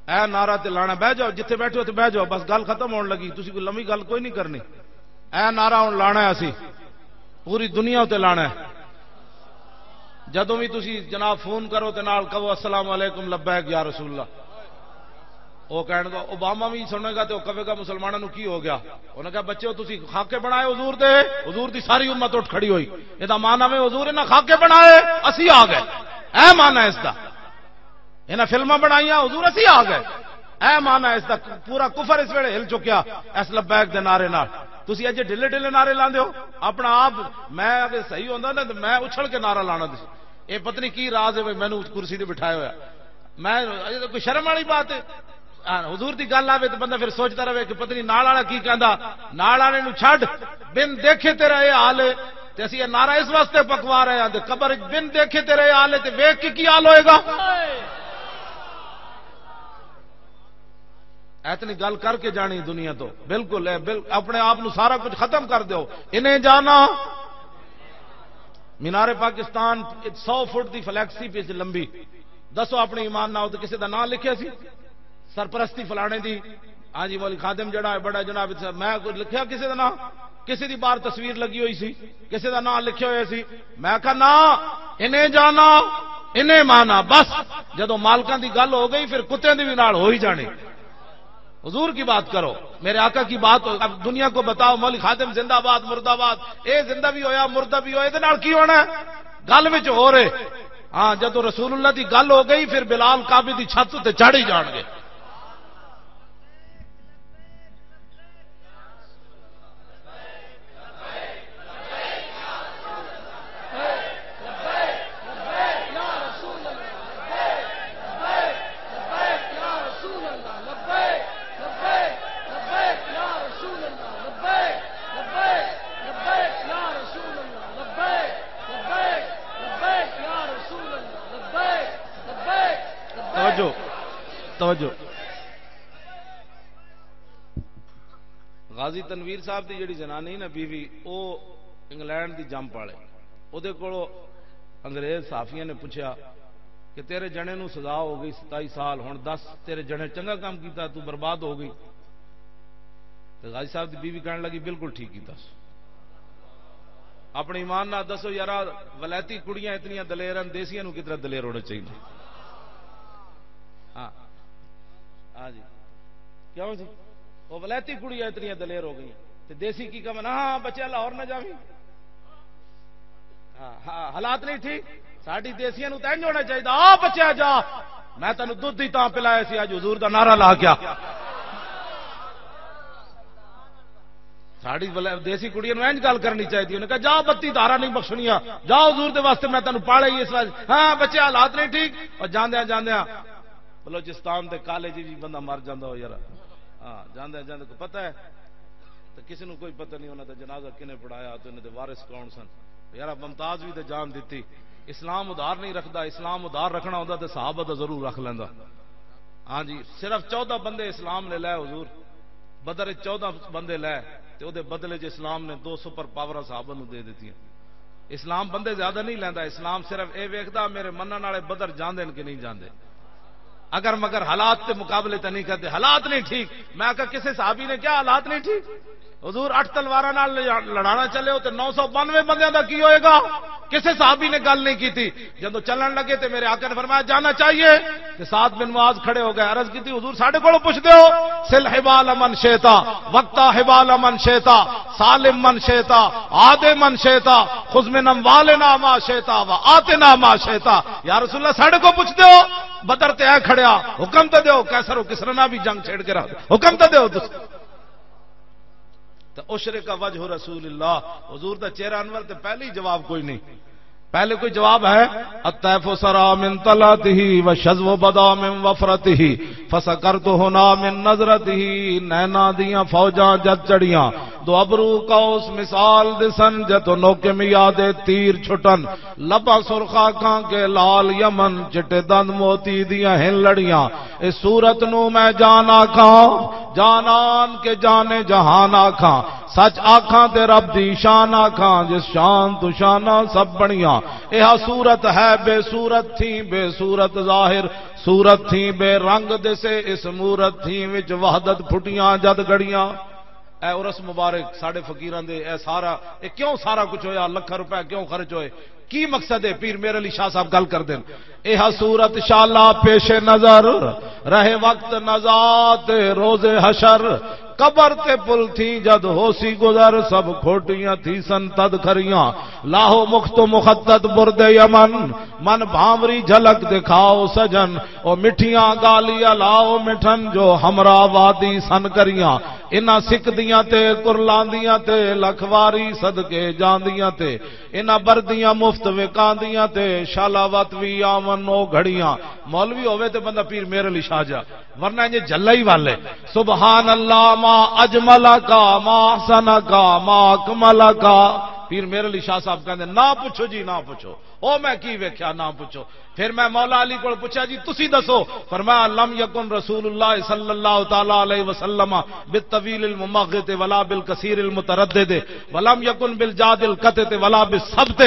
اے نعرہ تے لانا، بہ جاؤ، جتھے بیٹھے ہو تے بہ جاؤ، بس گل ختم ہون لگی، تسی کوئی لمبی گل کوئی نہیں کرنی۔ اے نعرہ ہن لانا ہے اسی، پوری دنیا تے لانا ہے۔ جدوں بھی تسی جناب فون کرو تے نال کہو، "السلام علیکم، لبیک یا رسول اللہ۔" وہ کہنے کا اوباما بھی سنے گا تے وہ کہے گا، "مسلمانوں نو کی ہو گیا؟" انہاں کہا، "بچے، تسی خاکے بنائے حضور دے، حضور دی ساری امت اٹھ کھڑی ہوئی۔" یہ دا معنی میں حضور انہاں خاکے بنائے، اسی آ گئے۔ اے معنی ہے اس دا۔ انہاں فلماں بنائیاں، حضور اسی آ گئے۔ اے معنی ہے اس دا۔ پورا کفر اس ویلے ہل چکیا اس لبیک دے نعرے نال۔ تسی اجے ڈھلے ڈھلے نعرے لاندے ہو۔ اپنا آپ میں اگر صحیح ہوندا نا تے میں اچھل کے نعرہ لانا سی۔ اے پتہ نہیں کی راز ہے، مینوں کرسی تے بٹھایا ہویا۔ میں، اے تاں کوئی شرم والی بات ہے؟ ہاں، حضور دی گل آوے تے بندہ پھر سوچدا رہے کہ پتہ نہیں نال والا کی کہندا۔ نال والے نوں چھڈ، بن دیکھے تیرا اے حال ہے۔ تے اسی یہ نعرہ اس واسطے پکوا رہے ہیں، تے قبر وچ بن دیکھے تیرے حال ہے، تے ویکھ کے کی حال ہوئے گا؟ ایتنی گل کر کے جانی دنیا تو، بالکل، اے بل-، اپنے آپ نو سارا کچھ ختم کر دیو۔ انہیں جانا، مینار پاکستان سو فٹ دی فلیکس سی پچ لمبی، دسو اپنے ایمان نال تے کسے دا نام لکھیا سی؟ سرپرستی فلانے دی، ہاں جی، مولوی خادم جڑا ہے بڑا جناب، میں کوئی لکھیا کسے دا نام؟ کسے دی باہر تصویر لگی ہوئی سی، کسے دا نام لکھیا ہویا سی؟ میں کہا، نہ، انہیں جانا، انہیں مانا۔ بس، جدوں مالکاں دی گل ہو گئی، پھر کتیاں دی بھی نال ہو ہی جانی۔ حضور کی بات کرو، میرے آقا کی بات ہو۔ اب دنیا کو بتاؤ، مولوی خادم زندہ باد، مردہ باد، اے زندہ بھی ہویا، مردہ بھی ہویا، اے دے نال کی ہونا ہے؟ گل وچ ہو رہے۔ ہاں، جدوں رسول اللہ دی گل ہو گئی، پھر بلال کعبے دی چھت تے چڑھ ہی جان گے۔ توجہ، توجہ۔ غازی تنویر صاحب دی جڑی زنانی نا بیوی، او انگلینڈ دی جمپ والے۔ اودے کولوں انگریز صحافیاں نے پوچھیا کہ تیرے جنے نو سزا ہو گئی ستائی سال، ہن دس تیرے جنے چنگا کام کیتا، تو برباد ہو گئی؟ تے غازی صاحب دی بیوی کہن لگی، بالکل ٹھیک کیتا۔ اپنے ایمان نال دسو یارا، ولایتی کڑیاں اتنیاں دلیر ہیں، دیسیاں نو کتنا دلیر ہونا چاہیے؟ ہاں، ہاں جی، کیوں جی؟ وہ ولایتی کڑیاں اتنیاں دلیر ہو گئی ہیں، تے دیسی کی کم؟ ہاں، بچے لاہور نہ جاویں۔ ہاں، ہاں، حالات نہیں ٹھیک۔ ساڈی دیسیاں نو تے انج ہونا چاہیے، آ بچیا جا، میں تینوں دودھ ہی تاں پلایا سی، اج حضور دا نعرہ لا گیا۔ ساڈی بلا-، دیسی کڑیاں نو انج گل کرنی چاہیے۔ انہاں کہا، جا، بتی دھارا نہیں بخشنیاں، جا حضور دے واسطے، میں تینوں پالے ہی اس واسطے۔ ہاں، بچے حالات نہیں ٹھیک، اور جاندیاں جاندیاں بلوچستان دے کالج بھی بندہ مر جاندا ہو یار۔ ہاں، جاندے جاندے کو پتہ ہے، تو کسی نو کوئی پتہ نہیں انہاں دا جنازہ کنے پڑھایا، تو انہاں دے وارث کون سن۔ یار، ممتاز بھی تے جان دتی۔ اسلام ادھار نہیں رکھدا، اسلام ادھار رکھنا ہوندا تے صحابہ دا ضرور رکھ لیندا۔ ہاں جی، صرف چودہ بندے اسلام نے لے حضور، بدر وچ چودہ بندے لے، تے او دے بدلے چ اسلام نے دو سپر پاور صحابہ نو دے دتیاں۔ اسلام بندے زیادہ نہیں لیندا، اسلام صرف اے ویکھدا میرے منن والے بدر جاندے نے کہ نہیں جاندے۔ اگر مگر حالات تے مقابلے تے نہیں کردے، حالات نہیں ٹھیک۔ میں آکھیا، کسے صحابی نے کیا حالات نہیں ٹھیک؟ حضور اٹھ تلواراں نال لڑانا چلے ہو تے نو سو بانوے بندیاں دا کی ہوئے گا؟ کسے صحابی نے گل نہیں کیتی۔ جدوں چلن لگے تے میرے آقا نے فرمایا، جانا چاہیے۔ تے سعد بن معاذ کھڑے ہو گئے، عرض کیتی، حضور ساڈے کولوں پوچھدے ہو؟ سل حبال من شئتا، وقتا حبال من شئتا، سالم من شئتا، عاد من شئتا، خذ من اموالنا ما شئتا و آتنا ما شئتا۔ یا رسول اللہ، ساڈے کولوں پوچھدے ہو؟ بدر تے اے کھڑیا، حکم تے دیو، قیصر و کسرا نال بھی جنگ چھیڑ کے رکھ دے، حکم تے دیو تسی۔ تے اشرق وجہ رسول اللہ، حضور دا چہرہ انور تے پہلے ہی جواب کوئی نہیں۔ پہلے کوئی جواب ہے؟ الطیف سرا من طلعته و شذو بدا من وفرته، فسکرت هنا من نظرته۔ نینا دیاں فوجاں جد چڑیاں، دو ابرو قوس مثال دسن، جتو نوک میاد تیر چھٹن، لباں سرخ آنکھاں کے لال یمن، چٹے دند موتی دیاں ہن لڑیاں۔ اس صورت نو میں جان آکھاں، جانان کے جانے جہان آکھاں، سچ آکھاں تے رب دی شان آکھاں، جس شان تو شاناں سب بنیاں۔ ایہا صورت ہے بے صورت تھی، بے صورت ظاہر، صورت تھی بے رنگ دسے، اس مورت تھی وچ وحدت پھٹیاں جد گڑیاں۔ اے عرس مبارک ساڈے فقیراں دے، اے سارا، اے کیوں سارا کچھ ہویا، لکھاں روپے کیوں خرچ ہوئے؟ کی مقصد ہے؟ پیر میر علی شاہ صاحب گل کر دین۔ ایہا صورت شالا پیش نظر، رہے وقت نزا تے روز حشر، قبر تے پل تھی جد ہوسی گزر، سب کھوٹیاں تھی سن تد کھریاں۔ لاہو مخت و مخطط برد یمن، من بھانوری جھلک دکھاؤ سجن، او مٹھیاں گالی الاؤ مٹھن، جو ہمراہ وادی سن کریاں۔ انہاں سکدیاں تے کرلاندیاں تے، لکھ واری صدقے جاندیاں تے، انہاں بردیاں مفت وکاندیاں تے، شالاوت وی آون او گھڑیاں۔ مولوی ہووے تے بندہ پیر میر علی شاہ جا، ورنہ انجے جھلا ہی والے۔ سبحان اللہ، ما اجمل کا، ما احسن کا، ما اکمل کا۔ پیر میر علی شاہ صاحب کہندے، "نہ پوچھو جی، نہ پوچھو، او میں کی ویکھیا، نہ پوچھو۔" پھر میں مولا علی کول پوچھا، "جی تسی دسو۔" فرمایا، "لم یکن رسول اللہ صلی اللہ تعالی علیہ وسلم بالطویل الممغط ولا بالکثیر المتردد، ولم یکن بالجاد القطط ولا بالسبط،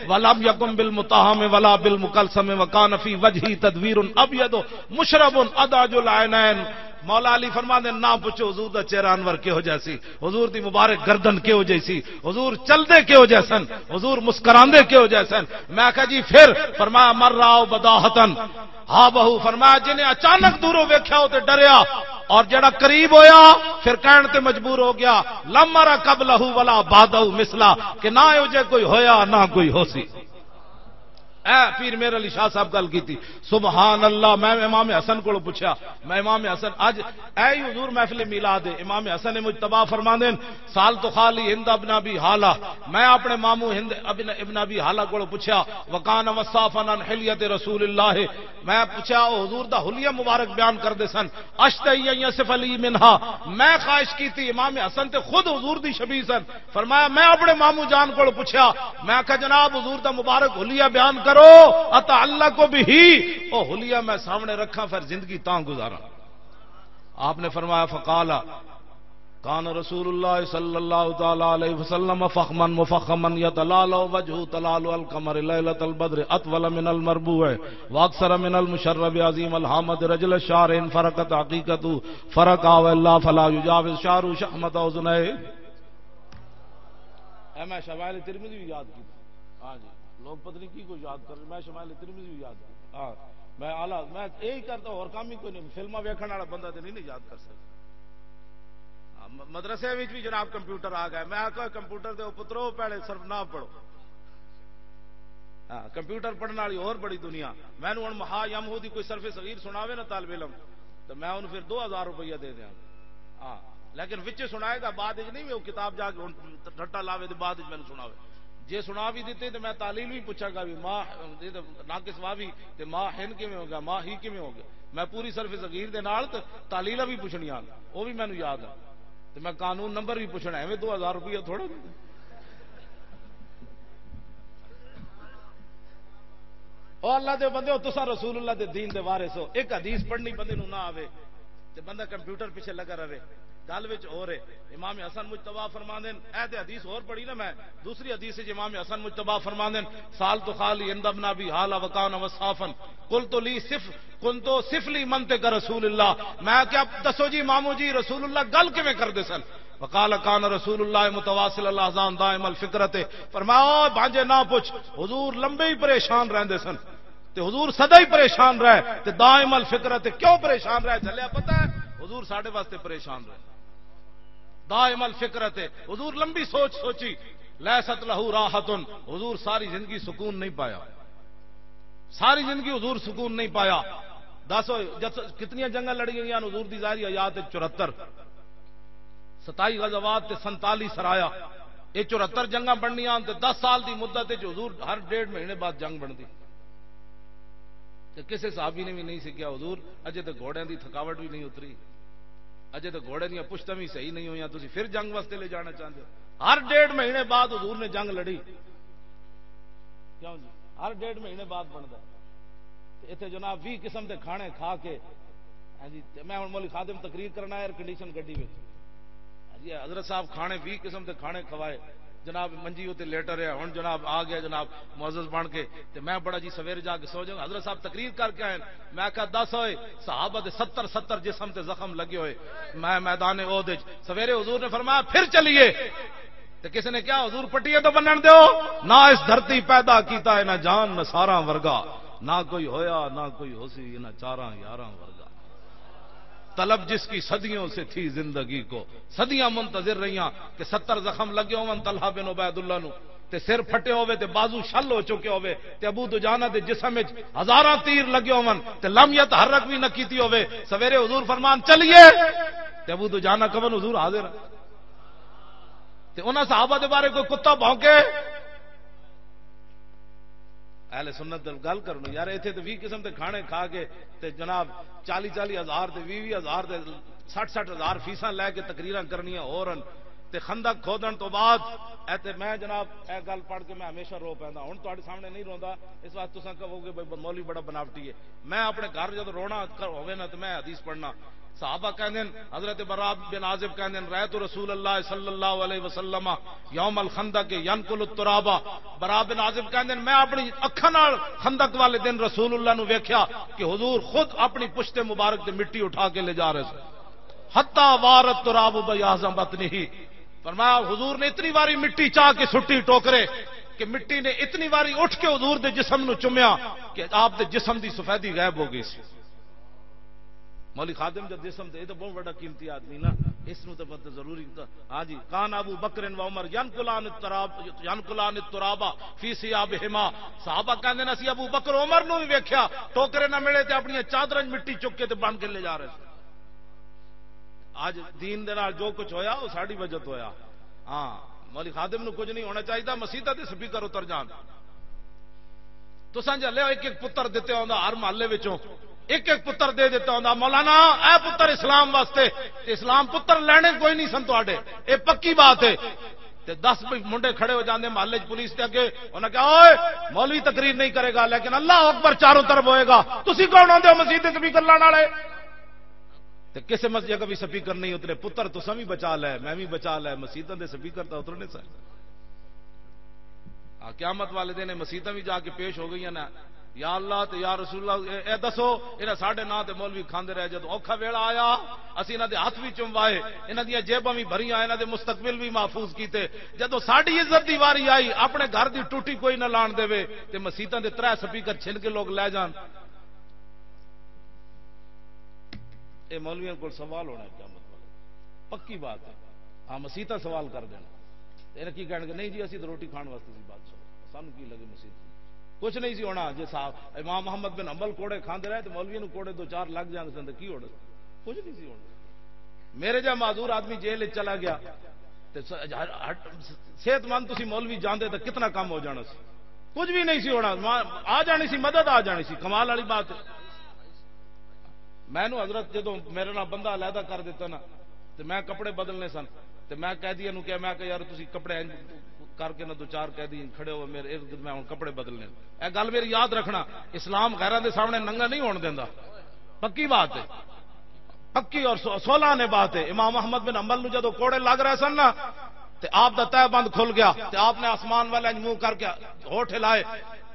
ولم یکن بالمتاہم ولا بالمکلسم، وکان فی وجہی تدویر ابیض مشرب اداج العینین۔" مولا علی فرماندے، "نہ پوچھو حضور دا چہرہ انور کہو جیسی، حضور دی مبارک گردن کہو جیسی، حضور چلدے کہو جیسن، حضور مسکراندے کہو جیسن۔" میں کہا، "جی پھر؟" فرمایا، "مر راو بداہتن ہا بہو۔" فرمایا، "جنہیں اچانک دوروں ویکھیا ہو تے ڈریا، اور جڑا قریب ہویا، پھر کہن تے مجبور ہو گیا، لم ارا قبلہ ولا بعدہ مثلا، کہ نہ ہو جے کوئی ہویا، نہ کوئی ہو سی۔" اے پیر میر علی شاہ صاحب گل کیتی۔ سبحان اللہ، میں امام حسن کولوں پوچھیا، میں امام حسن، اج اے ہی حضور محفل میلاد ہے، امام حسن مجتبی فرماندے نے، "سال تو خالی ہند ابن ابی حالہ۔" میں اپنے ماموں ہند ابن، ابن ابی حالہ کولوں پوچھیا، "وکان وصافن عن حلیت رسول اللہ۔" میں پوچھیا، او حضور دا حلیہ مبارک بیان کردے سن، "اشتہی ان یصف علی منہا۔" میں خواہش کیتی، امام حسن تے خود حضور دی شبیہ سن، فرمایا، میں اپنے ماموں جان کول پوچھیا، میں آکھیا، "جناب، حضور دا مبارک حلیہ بیان کرو، اتعلق بہ، او حلیہ میں سامنے رکھاں، پھر زندگی تاں گزاراں۔" آپ نے فرمایا، فقال، کان رسول اللہ صلی اللہ تعالی علیہ وسلم فخما مفخما یتلالو وجهه تلالو القمر لیلۃ البدر، اطول من المربوع واکثر من المشرب عظیم الحامد رجل الشعر، ان فرقت عقیقته فرق او اللہ فلا یجاوز شعره شحمۃ اذنیہ۔ اے میں شمائل ترمذی بھی یاد کیتا۔ ہاں جی، لوگ پتہ نہیں کی کو یاد کر، میں شمائل ترمذی بھی یاد کیتا۔ ہاں، میں اعلیٰ، میں یہی کرتا، اور کام ہی کوئی نہیں۔ فلماں ویکھن والا بندہ تے نہیں، نہیں یاد کر سکتا۔ ہاں، م-، مدرسے وچ بھی جناب کمپیوٹر آ گیا۔ میں آکھیا، "کمپیوٹر دے پترو، پہلے صرف نہ پڑھو۔" ہاں، کمپیوٹر پڑھن والی اور بڑی دنیا۔ مینوں ہن مہا یمہو دی کوئی صرف صغیر سناوے نا طالب علم، تو میں انہوں پھر دو ہزار روپیہ دے دیاں۔ ہاں، لیکن وچے سنائے گا، بعد وچ نہیں، وہ کتاب جا کے ہن ٹھٹا لاوے تے بعد وچ مینوں سناوے۔ جے سنا بھی دتے تے میں تعلیل بھی پوچھاں گا بھی، ماں، یہ تے ناقص واہ بھی، تے ماں ہن کیویں ہو گیا، ماں ہی کیویں ہو گیا۔ میں پوری صرف صغیر دے نال تے تعلیلاں بھی پوچھنیاں، وہ بھی مینوں یاد ہے۔ تے میں قانون نمبر بھی پوچھنا، ایویں دو ہزار روپیہ تھوڑا۔ او اللہ دے بندے، او تساں رسول اللہ دے دین دے وارث ہو۔ ایک حدیث پڑھنی بندے نوں نہ آوے تے بندہ کمپیوٹر پیچھے لگا رہے۔ گل وچ ہو رہے، امام حسن مجتبی فرماندے نے، اے تے حدیث ہور پڑھی نا میں، دوسری حدیث وچ امام حسن مجتبی فرماندے نے، "سال تو خالی عند ابن ابی حالہ وکان وصافن، قلت لی صف، کنتو صف لی منطق رسول اللہ۔" میں کیا، "دسو جی مامو جی، رسول اللہ گل کیویں کردے سن؟" وقال، "کان رسول اللہ متواصل الاحزان دائم الفکرت۔" فرمایا، "او بانجے نہ پوچھ، حضور لمبے ہی پریشان رہندے سن، تے حضور سدا ہی پریشان رہے، تے دائم الفکرت۔" کیوں پریشان رہے؟ جلیا پتہ ہے، حضور ساڈے واسطے پریشان رہے، دائم الفکرت۔ حضور لمبی سوچ سوچی، "لیست لہ راحت۔" حضور ساری زندگی سکون نہیں پایا، ساری زندگی حضور سکون نہیں پایا۔ دس ہوئے، جس، کتنی جنگاں لڑی گئیاں حضور دی ظاہری حیات وچ؟ چورہتر۔ ستائی غزوات تے سنتالی سرایا۔ یہ چورہتر جنگاں بننیاں تے دس سال دی مدت وچ حضور ہر ڈیڑھ مہینے بعد جنگ بندی۔ تے کسے صحابی نے بھی نہیں سکھیا، "حضور، اجے تے گھوڑیاں دی تھکاوٹ بھی نہیں اتری، اجے تے گھوڑے دیاں پشتاں بھی صحیح نہیں ہویاں، تسی پھر جنگ واسطے لے جانا چاہندے ہو؟" ہر ڈیڑھ مہینے بعد حضور نے جنگ لڑی۔ کیوں جی؟ ہر ڈیڑھ مہینے بعد بندا ہے۔ تے اتھے جناب ویہہ قسم دے کھانے کھا کے، ہاں جی، تے میں ہن مولوی خادم تقریر کرنا ایئر کنڈیشن گڈی وچ۔ ہاں جی، حضرت صاحب کھانے، ویہہ قسم دے کھانے کھوائے، جناب منجی اتے لیٹا رہیا۔ ہن جناب آ گیا، جناب معزز بن کے، تے میں بڑا جی سویرے جا کے سو جاؤں۔ حضرت صاحب تقریر کر کے آئے، میں کہا، "دس ہوئے، صحابہ دے ستر، ستر جسم تے زخم لگے ہوئے، میں میدان احد وچ۔" سویرے حضور نے فرمایا، "پھر چلیے۔" تے کسی نے کہا، "حضور، پٹیاں تو بنن دیو، نہ اس دھرتی پیدا کیتا ہے، نہ جان نثاراں ورگا، نہ کوئی ہویا، نہ کوئی ہوسی، نہ چاراں یاراں ورگا۔" طلب جس کی صدیوں سے تھی زندگی کو، صدیاں منتظر رہیاں کہ ستر زخم لگے ہون طلحہ بن عبید اللہ نو، تے سر پھٹے ہوئے، تے بازو شل ہو چکے ہوئے، تے ابو دجانہ دے جسم وچ ہزاراں تیر لگے ہون، تے لم یتحرک بھی نہ کیتی ہوئے۔ سویرے حضور فرمان، "چلیے۔" تے ابو دجانہ کون؟ حضور حاضر۔ تے انہاں صحابہ دے بارے کوئی کتا بھونکے؟ اہل سنت دے گل کرنو یار، ایتھے تے ویہہ قسم دے کھانے کھا کے تے جناب چالی چالی ہزار تے ویہہ ویہہ ہزار تے سٹھ سٹھ ہزار فیساں لے کے تقریراں کرنیاں ہور ہن۔ تے خندق کھودن تو بعد، اے تے میں جناب، اے گل پڑھ کے میں ہمیشہ رو پیندا۔ ہن تہاڈے سامنے نہیں روندا، اس واسطے تساں کہو گے، "بھئی، مولوی بڑا بناوٹی ہے۔" میں اپنے گھر جدوں رونا کر ہووے نا، تے میں حدیث پڑھنا۔ صحابہ کہندے نے، حضرت براء بن عازب کہندے نے، "رأیت رسول اللہ صلی اللہ علیہ وسلم یوم الخندق ینقل التراب۔" براء بن عازب کہندے نے، "میں اپنی اکھاں نال خندق والے دن رسول اللہ نو ویکھیا کہ حضور خود اپنی پشت مبارک تے مٹی اٹھا کے لے جا رہے سن۔" حتی وارت تراب بیاض بطنہ، فرمایا، حضور نے اتنی واری مٹی چاہ کے سٹی ٹوکرے، کہ مٹی نے اتنی واری اٹھ کے حضور دے جسم نو چومیا کہ آپ دے جسم دی سفیدی غائب ہو گئی سی۔ مولوی خادم جو جسم دے، یہ تو بہت بڑا قیمتی آدمی نا، اس نو تو بہت ضروری تو، ہاں جی، کان ابو بکر و عمر ینقلان التراب، ینقلان التراب فی ثیابہما۔ صحابہ کہندے نے، "اسی ابو بکر عمر نو بھی ویکھیا، ٹوکرے نہ ملے تے اپنی چادراں وچ مٹی چک کے تے بن کے لے جا رہے سن۔" اج دین دے نال جو کچھ ہویا، وہ ساڈی وجہ تو ہویا۔ ہاں، مولوی خادم نو کچھ نہیں ہونا چاہیے، مسیتاں دے سپیکر اتر جان۔ تساں جے لیا ایک ایک پتر دتے ہوندا ہر محلے وچوں، ایک ایک پتر دے دیتا ہوندا، "مولانا، اے پتر اسلام واسطے۔" تے اسلام پتر لینے کوئی نہیں سن تواڈے، اے پکی بات ہے۔ تے دس بھی منڈے کھڑے ہو جاندے محلے چ پولیس دے اگے، انہاں کہا، "اوئے، مولوی تقریر نہیں کرے گا، لیکن اللہ اکبر چاروں طرف ہوئے گا، تسی کون ہوندے ہو مسیت دے سپیکر لانے والے؟" تے کسے مسجد کا بھی سپیکر نہیں اترے، پتر تساں بھی بچا لے، میں بھی بچا لے، مسیتاں دے سپیکر تاں اترنے سن۔ آ، قیامت والے دن مسیتاں بھی جا کے پیش ہو گئیاں نا، "یا اللہ تے یا رسول اللہ، اے، اے دسو، انہاں ساڈے ناں تے مولوی کھاندے رہے، جدوں اوکھا ویلا آیا، اسی انہاں دے ہاتھ بھی چموائے، انہاں دیاں جیباں بھی بھریاں، انہاں دے مستقبل بھی محفوظ کیتے، جدوں ساڈی عزت دی واری آئی، اپنے گھر دی ٹوٹی کوئی نہ لان دے، تے مسیتاں دے ترے سپیکر چھن کے لوگ لے جان۔" اے مولویاں کول سوال ہونا ہے قیامت والے دن۔ پکی بات ہے۔ ہاں، مسیتاں سوال کر دینا۔ تے انہاں کی کہن گے، "نہیں جی، اسی تو روٹی کھان واسطے سی بادشاہ، سانو کی لگے مسیت۔" کچھ نہیں سی ہونا۔ جے صاحب امام محمد بن حنبل کوڑے کھاندے رہے، تے مولوی نو کوڑے دو چار لگ جاندے سن، تے کی ہونا؟ کچھ نہیں سی ہونا۔ میرے جا معذور آدمی جیل وچ چلا گیا، تے س-، ہٹ-، ہٹ-، صحت مند تسی مولوی جاندے، تے کتنا کم ہو جانا سی؟ کچھ بھی نہیں سی ہونا۔ ماں آ جانی سی، مدد آ جانی سی۔ کمال والی بات ہے۔ میں نو حضرت جدوں میرے نال بندہ علیحدہ کر دیتا نا، تے میں کپڑے بدلنے سن، تے میں قیدی نو کہیا، میں کہا، "یار، تسی کپڑے انج کر کے نہ دو چار قیدی کھڑے ہو میرے ارد گرد، میں ہن کپڑے بدلنے۔" اے گل میری یاد رکھنا، اسلام غیراں دے سامنے ننگا نہیں ہون دیندا۔ پکی بات ہے، پکی اور سو-، سولہ نے بات ہے۔ امام احمد بن حنبل نو جدوں کوڑے لگ رہے سن نا، تے آپ دا تہہ بند کھل گیا، تے آپ نے آسمان والے انج منہ کر کے ہوٹھ ہلائے،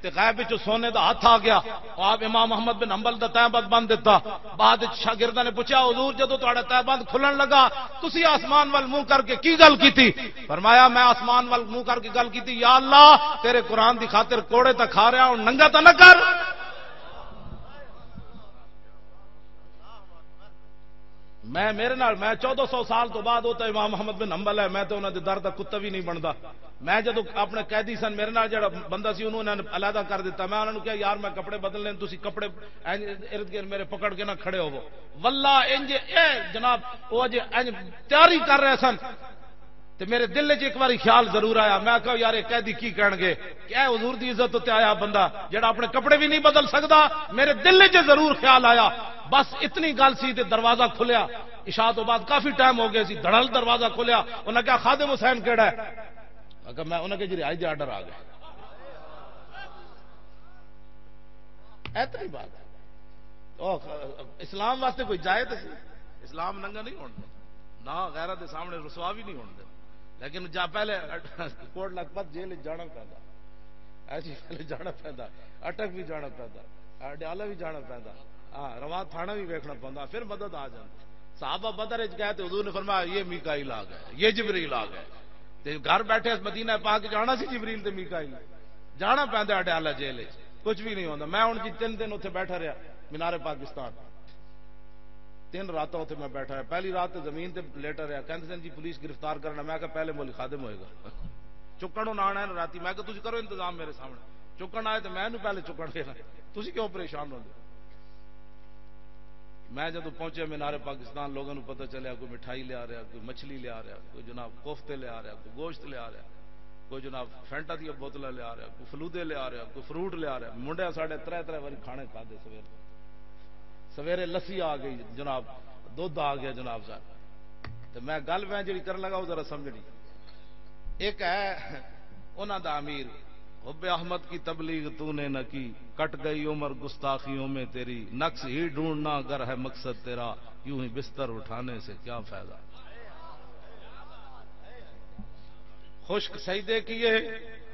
تے غیب وچوں سونے دا ہاتھ آ گیا۔ آپ امام احمد بن حنبل دا تہہ بند بند دتا۔ بعد وچ شاگرداں نے پوچھا، "حضور، جدوں تہاڈا تہہ بند کھلن لگا، تسی آسمان وال منہ کر کے کی گل کیتی؟" فرمایا، "میں آسمان وال منہ کر کے گل کیتی، یا اللہ، تیرے قرآن دی خاطر کوڑے تاں کھا رہا ہوں، ننگا تاں نہ کر۔" میں، میرے نال، میں چودہ سو سال تو بعد، وہ تو امام محمد بن حنبل ہے، میں تو انہاں دے در دا کتا بھی نہیں بندا۔ میں جدوں اپنے قیدی سن، میرے نال جڑا بندہ سی، انہوں نے علیحدہ کر دیتا۔ میں انہاں نوں کہیا، "یار، میں کپڑے بدل لین، تسی کپڑے انج ارد گرد میرے پکڑ کے نہ کھڑے ہوو۔" واللہ انج اے جناب، وہ اجے انج تیاری کر رہے سن، تے میرے دل وچ ایک واری خیال ضرور آیا۔ میں کہا، "یار، یہ قیدی کی کہن گے کہ اے حضور دی عزت تے آیا بندہ جڑا اپنے کپڑے بھی نہیں بدل سکدا۔" میرے دل وچ ضرور خیال آیا۔ بس اتنی گل سی تے دروازہ کھلیا۔ عشاء تو بعد کافی ٹائم ہو گیا سی، دھڑل دروازہ کھلیا۔ انہاں کہا، "خادم حسین کیڑا ہے؟" میں کہا، میں، انہاں کہا، "جی، رہائی دے آرڈر آ گئے۔" اتنی بات ہے۔ او، اسلام واسطے کوئی جائے تو سی۔ اسلام ننگا نہیں ہونا، نہ غیرت دے سامنے رسوا بھی نہیں ہونا۔ لیکن جا پہلے کوٹ لکھپت جیل وچ جانا پیندا، ایسی پہلے جانا پیندا، اٹک بھی جانا پیندا، اڈیالہ بھی جانا پیندا، ہاں، رواں تھانہ بھی ویکھنا پیندا، پھر مدد آ جاندی۔ صحابہ بدر وچ گئے تے حضور نے فرمایا، "یہ میکائیل آ گئے، یہ جبریل آ گئے۔" تے گھر بیٹھے اس مدینہ پاک وچ آنا سی جبریل تے میکائیل، جانا پیندا اڈیالہ جیل وچ، کچھ بھی نہیں ہوندا۔ میں ہن جی تین دن اتھے بیٹھا رہیا مینار پاکستان، تین راتاں اتھے میں بیٹھا رہیا۔ پہلی رات تے زمین تے لیٹا رہیا، کہندے سن، "جی، پولیس گرفتار کرنا۔" میں کہا، "پہلے مولوی خادم ہوئے گا۔" چکن انہاں آنا ہے راتی، میں کہا، "تسی کرو انتظام میرے سامنے۔" چکن آئے تے میں انہوں پہلے چکن دینا، تسی کیوں پریشان ہوندے؟ میں جدوں پہنچیا مینار پاکستان، لوگاں نوں پتہ چلیا، کوئی مٹھائی لیا رہیا، کوئی مچھلی لیا رہیا، کوئی جناب کوفتے لیا رہیا، کوئی گوشت لیا رہیا، کوئی جناب فینٹا دیاں بوتلاں لیا رہیا، کوئی فلودے لیا رہیا، کوئی فروٹ لیا رہیا۔ منڈیا ساڈے ترے ترے واری کھانے کھادے سویرے۔ سویرے لسی آ گئی جناب، دودھ آ گیا جناب صاحب۔ تو میں گل میں جڑی کرن لگا، وہ ذرا سمجھنی۔ ایک ہے انہاں دا امیر، حب احمد کی تبلیغ تو نے نہ کی، کٹ گئی عمر گستاخیوں میں تیری، نقص ہی ڈھونڈنا اگر ہے مقصد تیرا، یوں ہی بستر اٹھانے سے کیا فائدہ؟ خشک سجدے کیے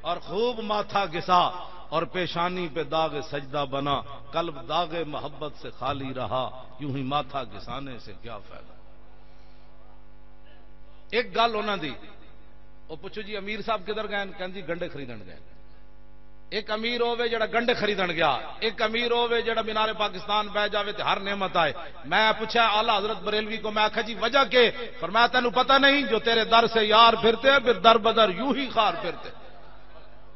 اور خوب ماتھا گسا، اور پیشانی پہ داغ سجدہ بنا، قلب داغ محبت سے خالی رہا، یوں ہی ماتھا گسانے سے کیا فائدہ؟ ایک گل انہاں دی، وہ پوچھو جی، امیر صاحب کدھر گئے؟ کہندی، گنڈے خریدن گئے۔ ایک امیر ہووے جڑا گنڈے خریدن گیا، ایک امیر ہووے جڑا مینار پاکستان بہ جاوے تے ہر نعمت آئے۔ میں پوچھا اعلیٰ حضرت بریلوی کو، میں آکھا، "جی، وجہ کے؟" فرمایا، "تینوں پتہ نہیں، جو تیرے در سے یار پھرتے ہیں، پھر در بدر یوں ہی خار پھرتے ہیں۔"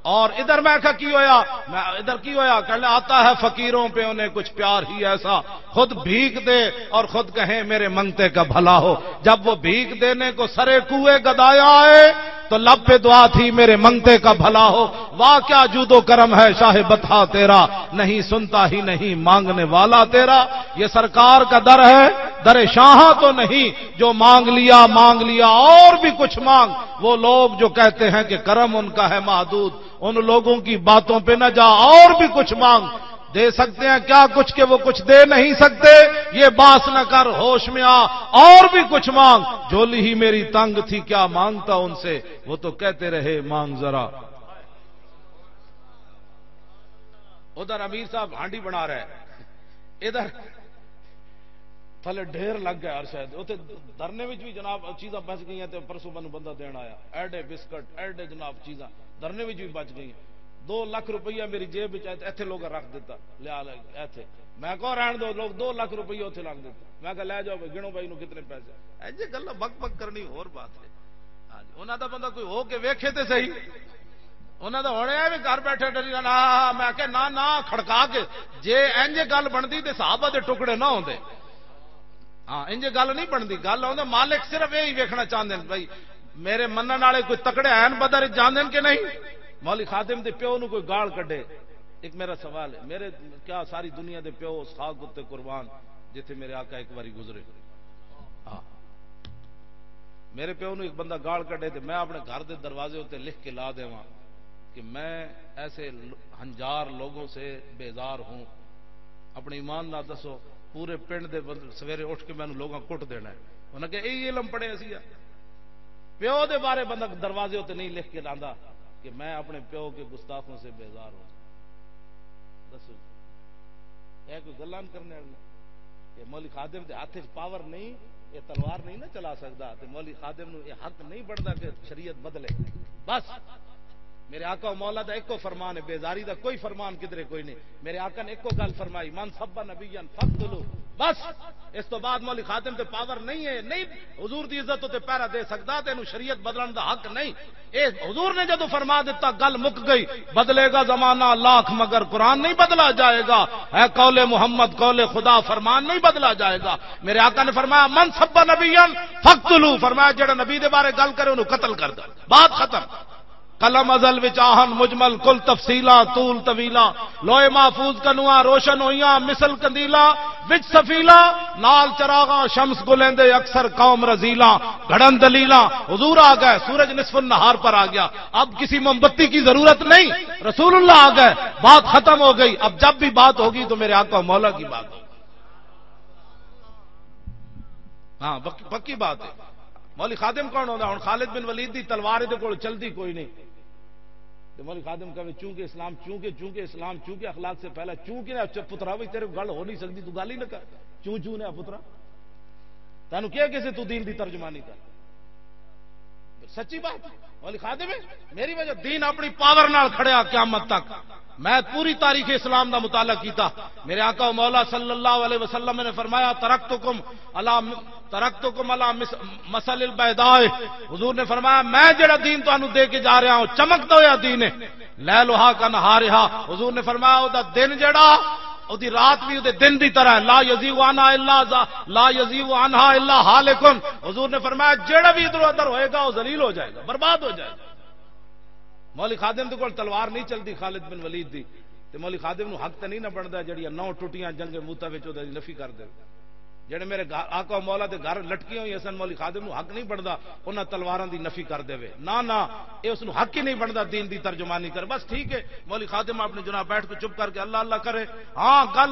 اور ادھر میں آکھا، "کی ہویا؟" میں، "ادھر کی ہویا؟" کہنے، "آتا ہے فقیروں پہ انہیں کچھ پیار ہی ایسا، خود بھیک دے اور خود کہیں، 'میرے منگتے کا بھلا ہو.'" جب وہ بھیک دینے کو سرے کوئے گدایا آئے، تو لب پہ دعا تھی، 'میرے منگتے کا بھلا ہو.' واہ کیا جود و کرم ہے شاہ بطحا تیرا، نہیں سنتا ہی نہیں مانگنے والا تیرا۔ یہ سرکار کا در ہے، در شاہاں تو نہیں، جو مانگ لیا، مانگ لیا، اور بھی کچھ مانگ۔ وہ لوگ جو کہتے ہیں کہ کرم ان کا ہے محدود، ان لوگوں کی باتوں پہ نہ جا، اور بھی کچھ مانگ۔ دے سکتے ہیں کیا کچھ کہ وہ کچھ دے نہیں سکتے؟ یہ باس نہ کر، ہوش میں آ، اور بھی کچھ مانگ۔ جھولی ہی میری تنگ تھی، کیا مانگتا ان سے؟ وہ تو کہتے رہے، "مانگ ذرا۔" ادھر امیر صاحب ہانڈی بنا رہے، ادھر تھلے ڈھیر لگ گیا ہر شاید۔ اتنے دھرنے وچ بھی جناب چیزاں بچ گئیاں تے پرسوں مینوں بندہ دین آیا، ایڈے بسکٹ، ایڈے جناب چیزاں دھرنے وچ بھی بچ گئیاں۔ دو لکھ روپیہ میری جیب وچ آیا تے ایتھے لوگاں رکھ دتا، لیا لے ایتھے۔ میں کہو رہن دو، لوگ دو لکھ روپیہ اتھے رکھ دتے۔ میں کہا، "لے جاؤ بھائی، گنو بھائی نو کتنے پیسے۔" ایجے گلاں بک بک کرنی ہور بات ہے۔ ہاں جی، انہاں دا بندہ کوئی ہو کے ویکھے تے صحیح۔ انہاں دا ہن اے وی گھر بیٹھے ڈری رہنا۔ ہاں، میں کہ نہ، نہ، کھڑکا کے، جے انج گل بندی تے صحابہ دے ٹکڑے نہ ہوندے۔ ہاں، انج گل نہیں بندی۔ گل ہوندے، مالک صرف یہی ویکھنا چاہندے نے بھائی، میرے منن والے کوئی تکڑے ہیں بدر جاندے نے کہ نہیں؟ مولوی خادم دے پیو نو کوئی گال کڈے۔ ایک میرا سوال ہے، میرے کیا ساری دنیا دے پیو اس خاک اُتے قربان جتھے میرے آقا ایک واری گزرے۔ ہاں۔ میرے پیو نو ایک بندہ گال کڈے تے میں اپنے گھر دے دروازے اُتے لکھ کے لا دیواں کہ میں ایسے ل-، ہنجار لوگوں سے بیزار ہوں۔ اپنے ایمان نال دسو، پورے پنڈ دے بند-، سویرے اٹھ کے مینوں لوگاں کٹ دینا ہے۔ انہاں کہ یہی علم پڑھے اسی آ۔ پیو دے بارے بندہ دروازے اُتے نہیں لکھ کے لاندا کہ میں اپنے پیو کے گستاخوں سے بیزار ہوں۔ دسو جی، یہ کوئی گلاں کرنے والی؟ یہ مولوی خادم دے ہاتھ وچ پاور نہیں، یہ تلوار نہیں نہ چلا سکدا، تے مولوی خادم نو یہ حق نہیں بندا کہ شریعت بدلے۔ بس، میرے آقا و مولا دا ایکو فرمان ہے، بیزاری دا کوئی فرمان کدرے کوئی نہیں۔ میرے آقا نے ایکو گل فرمائی، "من سب نبیا فقتلوہ۔" بس، اس تو بعد مولوی خادم تے پاور نہیں ہے، نہیں حضور دی عزت تے پہرا دے سکدا، تے اینو شریعت بدلن دا حق نہیں۔ اے حضور نے جدوں فرما دتا، گل مک گئی۔ بدلے گا زمانہ لاکھ مگر قرآن نہیں بدلا جائے گا۔ ہے قول محمد، قول خدا، فرمان نہیں بدلا جائے گا۔ میرے آقا نے فرمایا، "من سب نبیا فقتلوہ"، فرمایا، "جڑا نبی دے بارے گل کرے، اونوں قتل کر دے۔" بات ختم۔ قلم ازل وچ آہن مجمل، کل تفصیلاں طول طویلاں۔ لوح محفوظ کنواں روشن ہوئیاں مثل قندیلاں، وچ سفیلاں نال چراغاں، شمس گلیندے اکثر قوم رزیلاں۔ گھڑن دلیلاں، حضور آ گئے، سورج نصف النہار پر آ گیا۔ اب کسی موم بتی کی ضرورت نہیں، رسول اللہ آ گئے، بات ختم ہو گئی۔ اب جب بھی بات ہوگی تو میرے آقا و مولا کی بات ہوگی۔ ہاں، پک-، پکی بات ہے۔ مولوی خادم کون ہوندا؟ ہن خالد بن ولید دی تلوار دے کول چلدی کوئی نہیں۔ تے مولوی خادم کہے، "چونکہ اسلام، چونکہ، چونکہ اسلام، چونکہ اخلاق سے پہلا، چونکہ نہ۔" اچھا پترا، بھائی تیرے کول گل ہو نہیں سکدی، تو گل ہی نہ کر۔ چوں چوں نے پترا، تینوں کیا کسے تو دین دی ترجمانی کر؟ سچی بات، مولوی خادم ہے، میری وجہ دین اپنی پاور نال کھڑیا قیامت تک۔ میں پوری تاریخ اسلام دا مطالعہ کیتا۔ میرے آقا و مولا صلی اللہ علیہ وسلم نے فرمایا، "ترکتکم علی، ترکتکم علی مس-، مثل البیضاء۔" حضور نے فرمایا، "میں جڑا دین تانوں دے کے جا رہا ہوں، چمکدا ہویا دین ہے، لیلہا کا نہارہا۔" حضور نے فرمایا، "او دا دن جڑا، او دی رات بھی او دے دن دی طرح ہے، لا یزیغ عنہا الا ذا-، لا یزیغ عنہا الا ہالکن۔" حضور نے فرمایا، جڑا بھی ادھر ادھر ہوئے گا، وہ ذلیل ہو جائے گا، برباد ہو جائے گا۔ مولوی خادم دے کول تلوار نہیں چلدی خالد بن ولید دی، تے مولوی خادم نو حق تے نہیں نہ بندا جڑیاں نو ٹوٹیاں جنگ موتا وچ اودے نفی کر دے۔ جڑے میرے گھر، آقا و مولا دے گھر لٹکیاں ہوئی سن، مولوی خادم نو حق نہیں بندا انہاں تلواراں دی نفی کر دے۔ نہ نہ، اے اس نو حق ہی نہیں بندا دین دی ترجمانی کرے۔ بس ٹھیک ہے، مولوی خادم اپنے جناب بیٹھ کے چپ کر کے اللہ اللہ کرے۔ ہاں، گل